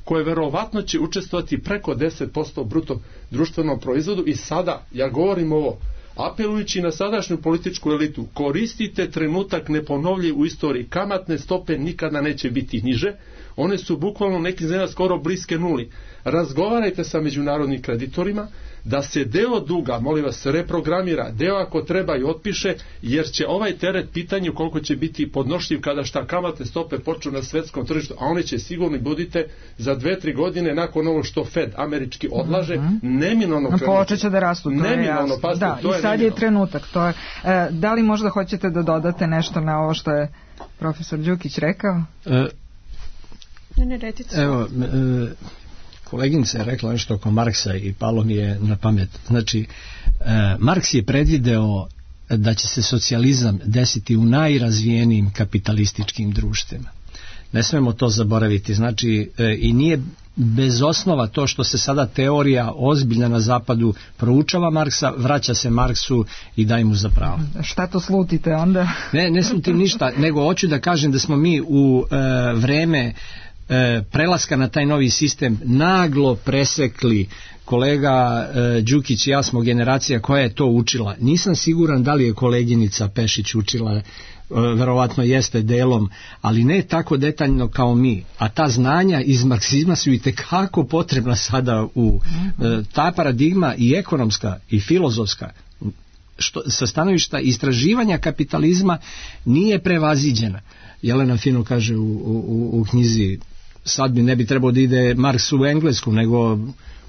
koje verovatno će učestvovati preko deset posto bruto društvenom proizvodu. I sada, ja govorim ovo, apelujući na sadašnju političku elitu, koristite trenutak neponovljiv u istoriji, kamatne stope nikada neće biti niže, one su bukvalno neki zemlja skoro bliske nuli. Razgovarajte sa međunarodnim kreditorima, da se deo duga, molim vas, reprogramira, deo ako treba i otpiše, jer će ovaj teret pitanje koliko će biti podnošljiv kada šta kamatne stope počnu na svetskom tržištu, a one će sigurno, budite, za dve, tri godine nakon ovo što Fed američki odlaže, mm-hmm. neminovno krenuti. Počeće da rastu, to neminovno, je jasno. Pazite, da, to i je sad neminovno. je trenutak. To je, e, da li možda hoćete da dodate nešto na ovo što je profesor Đukić rekao? E, ne, ne, recite. Evo, e, koleginica je rekla nešto oko Marksa i palo mi je na pamet. Znači, e, Marks je predvideo da će se socijalizam desiti u najrazvijenijim kapitalističkim društvima. Ne smemo to zaboraviti. Znači, e, i nije bez osnova to što se sada teorija ozbiljna na zapadu proučava Marksa, vraća se Marksu i daj mu za pravo. Šta to slutite onda? Ne, ne slutim ništa, nego hoću da kažem da smo mi u e, vreme e, prelaska na taj novi sistem naglo presekli. Kolega e, Đukić i ja smo generacija koja je to učila. Nisam siguran da li je koleginica Pešić učila, e, verovatno jeste delom, ali ne tako detaljno kao mi. A ta znanja iz marksizma su i tekako potrebna sada u e, ta paradigma i ekonomska i filozofska, što, sa stanovišta istraživanja kapitalizma nije prevaziđena. Jelena fino kaže u, u, u knjizi, sad bi ne bi trebao da ide Marks u Englesku, nego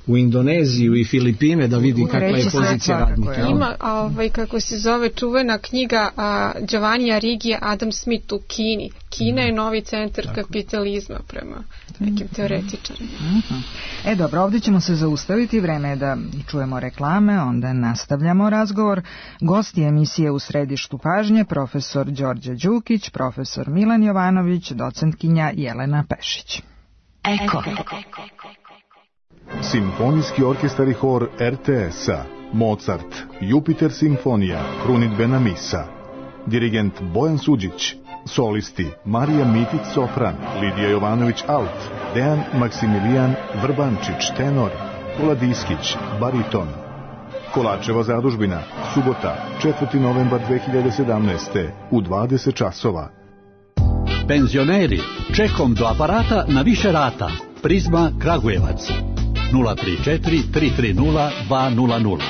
u Indoneziju i Filipine da vidi kakva je pozicija radnika. Ima, ovaj, kako se zove, čuvena knjiga a, Giovanni Arrighi, Adam Smith u Kini. Kina je novi centar Tako. kapitalizma prema nekim teoretičarima. Mm-hmm. E dobro, ovdje ćemo se zaustaviti, vreme je da čujemo reklame, onda nastavljamo razgovor. Gosti emisije U središtu pažnje, profesor Đorđe Đukić, profesor Milan Jovanović, docentkinja Jelena Pešić. Eko. Simfonijski orkestar i hor er te es-a, Mozart, Jupiter simfonija, krunidbena misa. Dirigent Bojan Suđić, solisti Marija Mitić sopran, Lidija Jovanović alt, Dejan Maksimilijan Vrbančić tenor, Vladiskić bariton. Kolačeva zadužbina, subota, četvrti novembar dve hiljade sedamnaeste u dvadeset časova. Penzioneri, čekom do aparata na više rata. Prizma Kragujevac. nula tri četiri tri tri nula dva nula nula.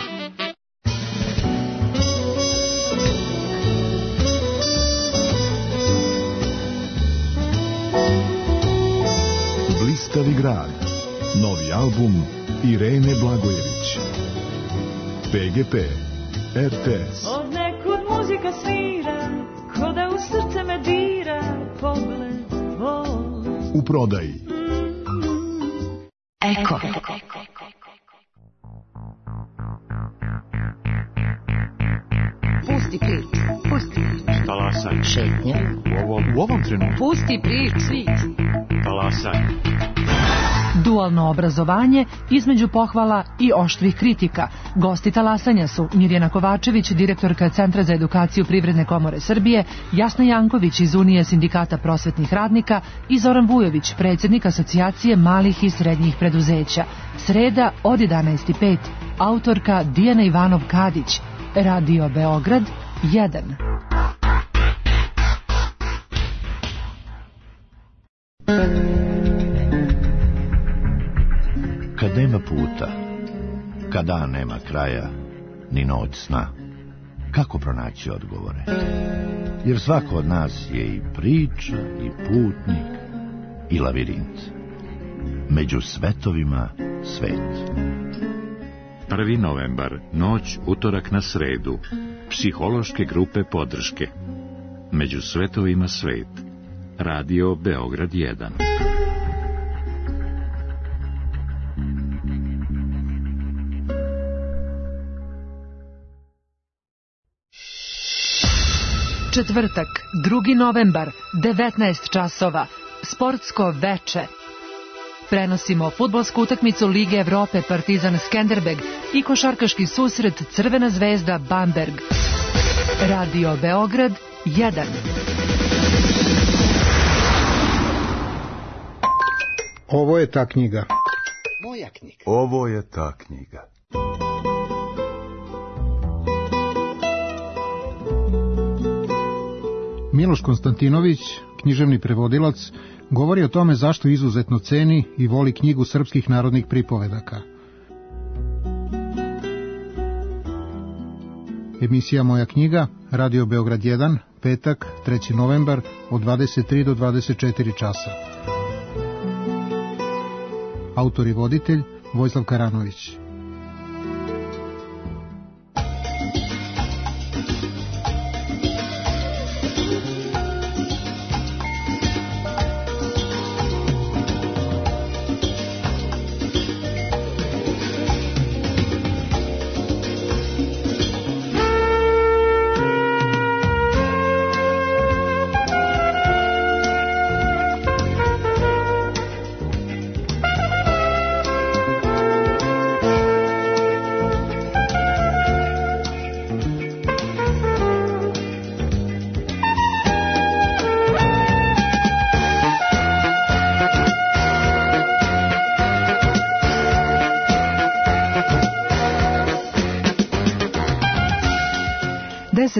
Blistavi grad. Novi album Irene Blagojević. pe ge pe, er te es. Od nekud muzika svira, ko da u srce me dira, pogled tvoj. U prodaji. Eko. Pusti prič, pusti prič. Talasaj. Šetnja. U ovom, u ovom trenutku. Pusti prič, svit. Talasaj. Dualno obrazovanje između pohvala i oštrih kritika. Gosti talasanja su Mirjana Kovačević, direktorka Centra za edukaciju Privredne komore Srbije, Jasna Janković iz Unije sindikata prosvetnih radnika i Zoran Vujović, predsjednik Asocijacije malih i srednjih preduzeća. Sreda od jedanaest i pet. Autorka Dijana Ivanov-Kadić. Radio Beograd jedan. Kad nema puta, kad dan nema kraja, ni noć sna, kako pronaći odgovore? Jer svako od nas je i priča, i putnik, i lavirint. Među svetovima svet. prvi novembar, noć, utorak na sredu. Psihološke grupe podrške. Među svetovima svet. Radio Beograd jedan. Četvrtak, drugi novembar, devetnaest časova, sportsko veče. Prenosimo fudbalsku utakmicu Lige Evrope Partizan Skenderbeg i košarkaški susret Crvena zvezda Bamberg. Radio Beograd jedan. Ovo je ta knjiga. Moja knjiga. Ovo je ta knjiga. Miloš Konstantinović, književni prevodilac, govori o tome zašto izuzetno ceni i voli knjigu srpskih narodnih pripovedaka. Emisija Moja knjiga, Radio Beograd jedan, petak, treći novembar, od dvadeset tri do dvadeset četiri časa. Autor i voditelj Vojislav Karanović.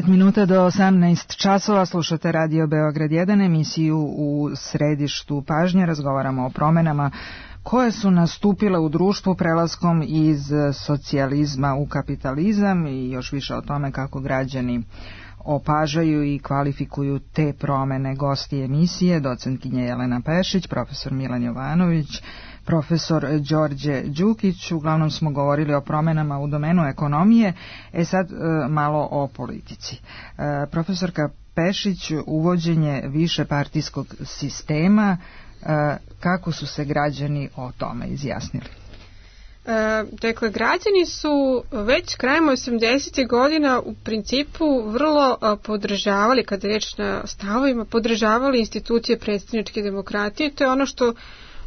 deset minuta do osamnaest časova slušate Radio Beograd jedan, emisiju u središtu pažnje. Razgovaramo o promenama koje su nastupile u društvu prelaskom iz socijalizma u kapitalizam i još više o tome kako građani opažaju i kvalifikuju te promene. Gosti emisije, docentkinja Jelena Pešić, profesor Milan Jovanović, profesor Đorđe Đukić. Uglavnom smo govorili o promenama u domenu ekonomije, e sad e, malo o politici. E, profesorka Pešić, uvođenje višepartijskog sistema, e, kako su se građani o tome izjasnili? E, dakle, građani su već krajem osamdesetih godina u principu vrlo a, podržavali, kada je reč na stavovima, podržavali institucije predstavničke demokratije. To je ono što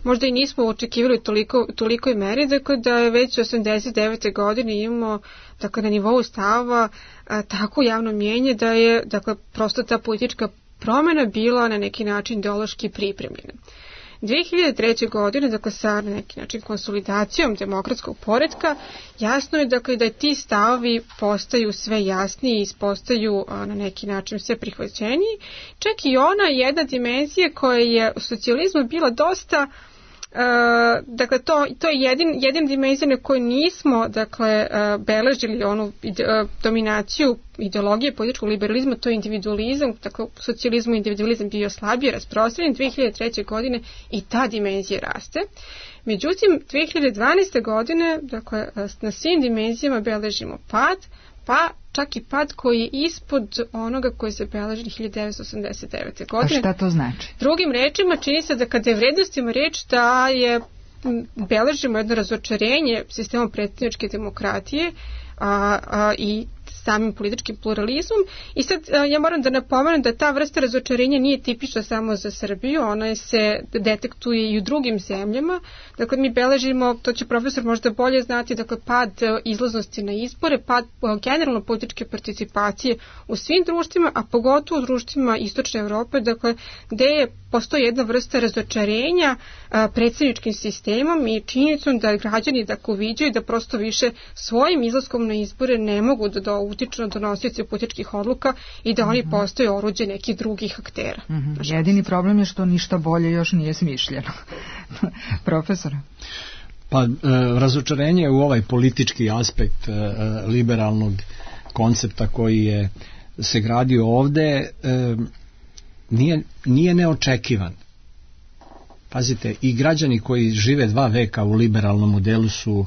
možda i nismo očekivali toliko, tolikoj meri, dakle da je već osamdeset devete godine imamo, dakle, na nivou stavova a, tako javno mijenje da je, dakle, prosto ta politička promjena bila na neki način ideološki pripremljena. dve hiljade treće. godine, dakle, sa na neki način konsolidacijom demokratskog poretka, jasno je, dakle, da ti stavovi postaju sve jasniji i postaju a, na neki način sve prihvaćeniji. Čak i ona jedna dimenzija koja je u socijalizmu bila dosta, Uh, dakle, to, to je jedin, jedin dimenzija na kojoj nismo, dakle, uh, beležili onu ide, uh, dominaciju ideologije političkog liberalizma, to je individualizam. Dakle, u socijalizmu individualizam bio slabije rasprostranjen. dve hiljade treće. godine i ta dimenzija raste. Međutim, dve hiljade dvanaeste. godine, dakle, na svim dimenzijama beležimo pad, pa čak i pad koji je ispod onoga koji se beleži hiljadu devetsto osamdeset devete. godine. A šta to znači? Drugim rečima, čini se da kada je vrednostima reč da je beležimo jedno razočarenje sistemom predstavničke demokratije a, a, i samim političkim pluralizmom. I sad ja moram da napomenem da ta vrsta razočarenja nije tipična samo za Srbiju, ona se detektuje i u drugim zemljama. Dakle, mi beležimo, to će profesor možda bolje znati, dakle, pad izlaznosti na izbore, pad generalno političke participacije u svim društvima, a pogotovo u društvima Istočne Evrope, dakle, gde je postoji jedna vrsta razočarenja a, predstavničkim sistemom i činjenicom da građani, dakle, uviđaju da prosto više svojim izlaskom na izbore ne mogu da do utiču na donosioce političkih odluka i da oni mm-hmm. postaju oruđe nekih drugih aktera. Mm-hmm. Jedini problem je što ništa bolje još nije smišljeno. Profesor? Pa, e, razočarenje u ovaj politički aspekt e, liberalnog koncepta koji je se gradio ovde e, nije, nije neočekivan. Pazite, i građani koji žive dva veka u liberalnom modelu su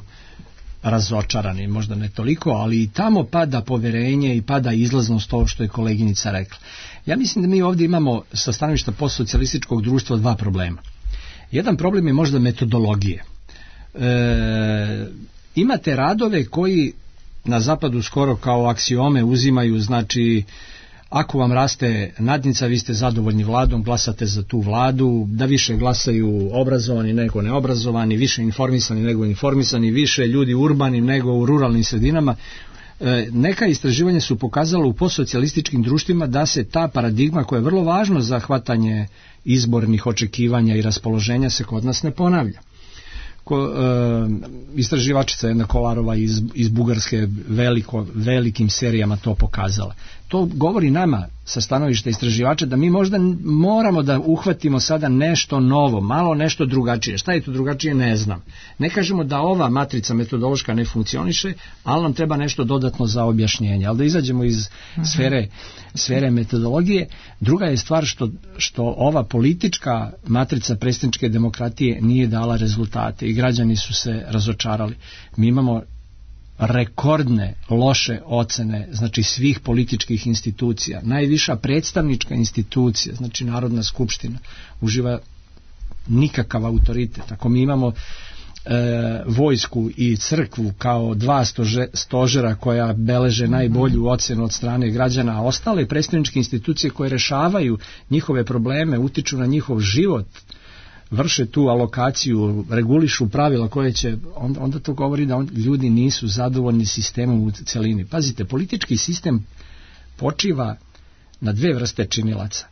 razočarani, možda ne toliko, ali i tamo pada poverenje i pada izlaznost, ovo što je koleginica rekla. Ja mislim da mi ovdje imamo sa stanovišta postsocijalističkog društva dva problema. Jedan problem je možda metodologije. E, imate radove koji na zapadu skoro kao aksiome uzimaju, znači ako vam raste nadnica, vi ste zadovoljni vladom, glasate za tu vladu, da više glasaju obrazovani nego neobrazovani, više informisani nego informisani, više ljudi urbanim nego u ruralnim sredinama. E, neka istraživanja su pokazala u postsocijalističkim društvima da se ta paradigma koja je vrlo važna za hvatanje izbornih očekivanja i raspoloženja se kod nas ne ponavlja. Ko, e, istraživačica jedna Kolarova iz, iz Bugarske veliko, velikim serijama to pokazala. To govori nama sa stanovišta istraživača da mi možda moramo da uhvatimo sada nešto novo, malo nešto drugačije. Šta je to drugačije, ne znam. Ne kažemo da ova matrica metodološka ne funkcioniše, ali nam treba nešto dodatno za objašnjenje. Ali da izađemo iz sfere, sfere metodologije. Druga je stvar što, što ova politička matrica predstavničke demokratije nije dala rezultate i građani su se razočarali. Mi imamo rekordne loše ocene, znači svih političkih institucija. Najviša predstavnička institucija, znači Narodna skupština, uživa nikakav autoritet. Ako mi imamo e, vojsku i crkvu kao dva stože, stožera koja beleže najbolju ocenu od strane građana, a ostale predstavničke institucije koje rešavaju njihove probleme, utiču na njihov život, vrše tu alokaciju, regulišu pravila koje će, onda, onda to govori da on, ljudi nisu zadovoljni sistemom u celini. Pazite, politički sistem počiva na dve vrste činilaca.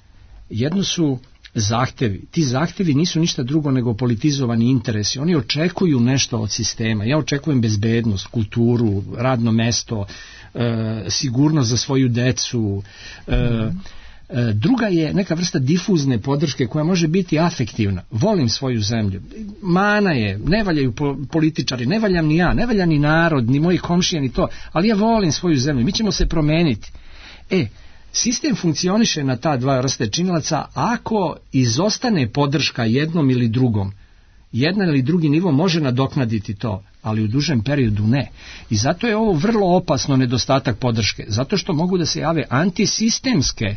Jedno su zahtevi. Ti zahtevi nisu ništa drugo nego politizovani interesi. Oni očekuju nešto od sistema. Ja očekujem bezbednost, kulturu, radno mesto, e, sigurnost za svoju decu, e, druga je neka vrsta difuzne podrške koja može biti afektivna. Volim svoju zemlju. Mana je, ne valjaju političari, ne valjam ni ja, ne valja ni narod, ni moji komšije, ni to, ali ja volim svoju zemlju. Mi ćemo se promeniti. E, sistem funkcioniše na ta dva vrste činilaca ako izostane podrška jednom ili drugom. Jedan ili drugi nivo može nadoknaditi to, ali u dužem periodu ne. I zato je ovo vrlo opasno nedostatak podrške, zato što mogu da se jave antisistemske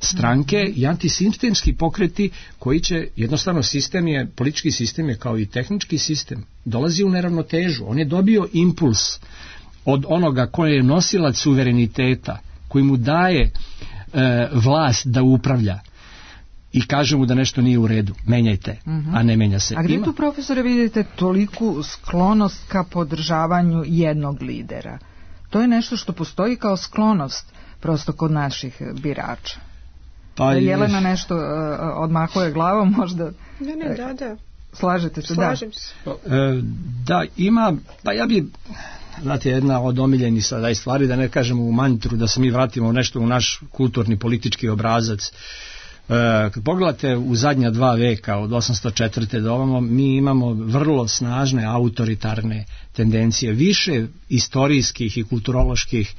stranke i antisistemski pokreti koji će, jednostavno sistem je, politički sistem je kao i tehnički sistem, dolazi u neravnotežu. On je dobio impuls od onoga koji je nosilac suvereniteta, koji mu daje e, vlast da upravlja i kaže mu da nešto nije u redu, menjajte, uh-huh. a ne menja se. A gdje Ima... tu, profesore, vidite toliku sklonost ka podržavanju jednog lidera? To je nešto što postoji kao sklonost prosto kod naših birača. Pa Jelena je... nešto uh, odmahuje glavom, možda... Ne, ne, da, da. Slažete se? Slažem da. se. E, da, ima, pa ja bi, znate, jedna od omiljenih sada stvari, da ne kažemo u mantru, da se mi vratimo nešto u naš kulturni politički obrazac. E, kad pogledate u zadnja dva veka, od osamsto četvrte do ovamo, mi imamo vrlo snažne autoritarne tendencije. Više istorijskih i kulturoloških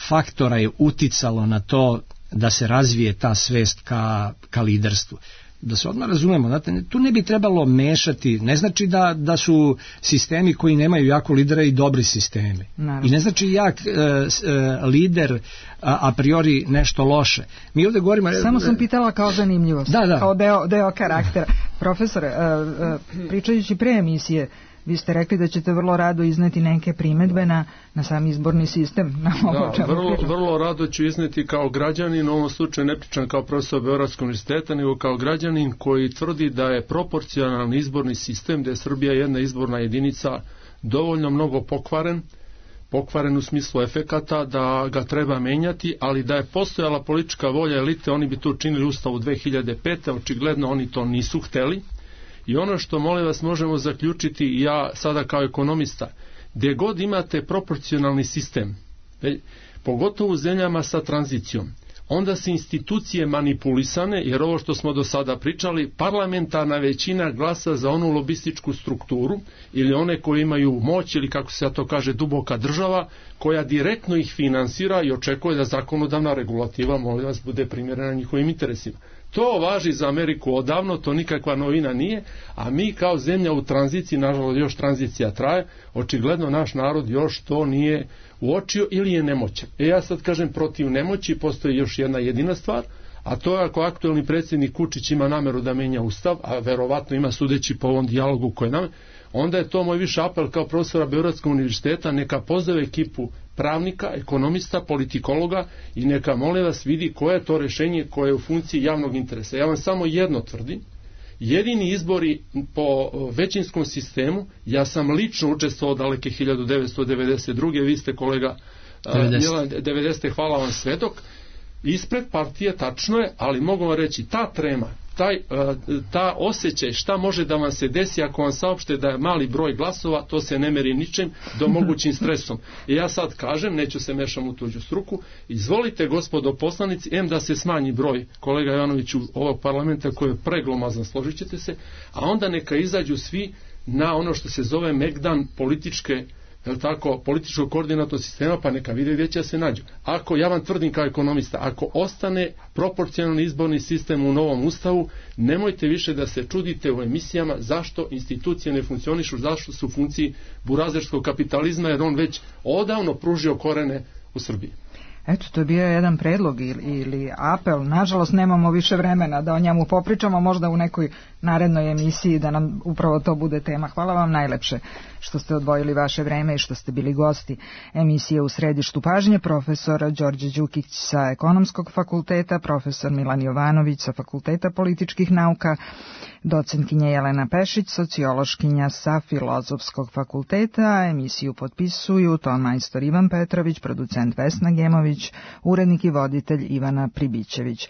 faktora je uticalo na to da se razvije ta svest ka, ka liderstvu. Da se odmah razumemo, znate, tu ne bi trebalo mešati, ne znači da, da su sistemi koji nemaju jako lidera i dobri sistemi. Naravno. I ne znači jak e, e, lider a, a priori nešto loše. Mi ovdje govorimo... Samo sam pitala kao zanimljivost, da, da. kao deo, deo karaktera. Profesore, e, e, pričajući pre emisije, vi ste rekli da ćete vrlo rado izneti neke primedbe na, na sam izborni sistem. Na ovo da, vrlo, vrlo rado ću izneti kao građanin, u ovom slučaju ne pričam kao profesor Beogradskog univerziteta, nego kao građanin koji tvrdi da je proporcionalni izborni sistem, da je Srbija jedna izborna jedinica dovoljno mnogo pokvaren, pokvaren u smislu efekata, da ga treba menjati, ali da je postojala politička volja elite, oni bi to učinili u Ustavu dve hiljade pete. Očigledno oni to nisu hteli. I ono što, molim vas, možemo zaključiti, ja sada kao ekonomista, gdje god imate proporcionalni sistem, pogotovo u zemljama sa tranzicijom, onda se institucije manipulisane, jer ovo što smo do sada pričali, parlamentarna većina glasa za onu lobističku strukturu ili one koji imaju moć, ili kako se to kaže, duboka država, koja direktno ih finansira i očekuje da zakonodavna regulativa, molim vas, bude primjerena njihovim interesima. To važi za Ameriku odavno, to nikakva novina nije, a mi kao zemlja u tranziciji, nažalost još tranzicija traje, očigledno naš narod još to nije uočio ili je nemoćan. E ja sad kažem, protiv nemoći postoji još jedna jedina stvar, a to je ako aktuelni predsjednik Vučić ima nameru da menja ustav, a verovatno ima sudeći po ovom dijalogu koje nam, onda je to moj više apel kao profesora Beogradskog univerziteta, neka pozove ekipu pravnika, ekonomista, politikologa i neka, molim vas, vidi koje je to rješenje koje je u funkciji javnog interesa. Ja vam samo jedno tvrdim, jedini izbori po većinskom sistemu, ja sam lično učestvovao daleke hiljadu devetsto devedeset druge. Vi ste, kolega devedesete. hvala vam, svedok. ispred partije, tačno je, ali mogu vam reći, ta trema, taj, ta osjećaj šta može da vam se desi ako vam saopšte da je mali broj glasova, to se ne meri ničim do mogućim stresom. I ja sad kažem, neću se mešam u tuđu struku, izvolite gospodo poslanici, em da se smanji broj, kolega Jovanoviću, ovog parlamenta koji je preglomazan, složit ćete se, a onda neka izađu svi na ono što se zove megdan političke, jel tako, političkog koordinatnog sistema, pa neka vide gdje će se nađu. Ako, ja vam tvrdim kao ekonomista, ako ostane proporcionalni izborni sistem u novom ustavu, nemojte više da se čudite u emisijama zašto institucije ne funkcionišu, zašto su u funkciji burazerskog kapitalizma, jer on već odavno pružio korene u Srbiji. Eto, to je bio jedan predlog ili, ili apel. Nažalost, nemamo više vremena da o njemu popričamo, možda u nekoj narednoj emisiji da nam upravo to bude tema. Hvala vam najlepše što ste odvojili vaše vreme i što ste bili gosti emisije U središtu pažnje. Profesor Đorđe Đukić sa Ekonomskog fakulteta, profesor Milan Jovanović sa Fakulteta političkih nauka, docentkinja Jelena Pešić, sociološkinja sa Filozofskog fakulteta. Emisiju potpisuju ton majstor Ivan Petrović, producent Vesna Gemović, urednik i voditelj Ivana Pribićević.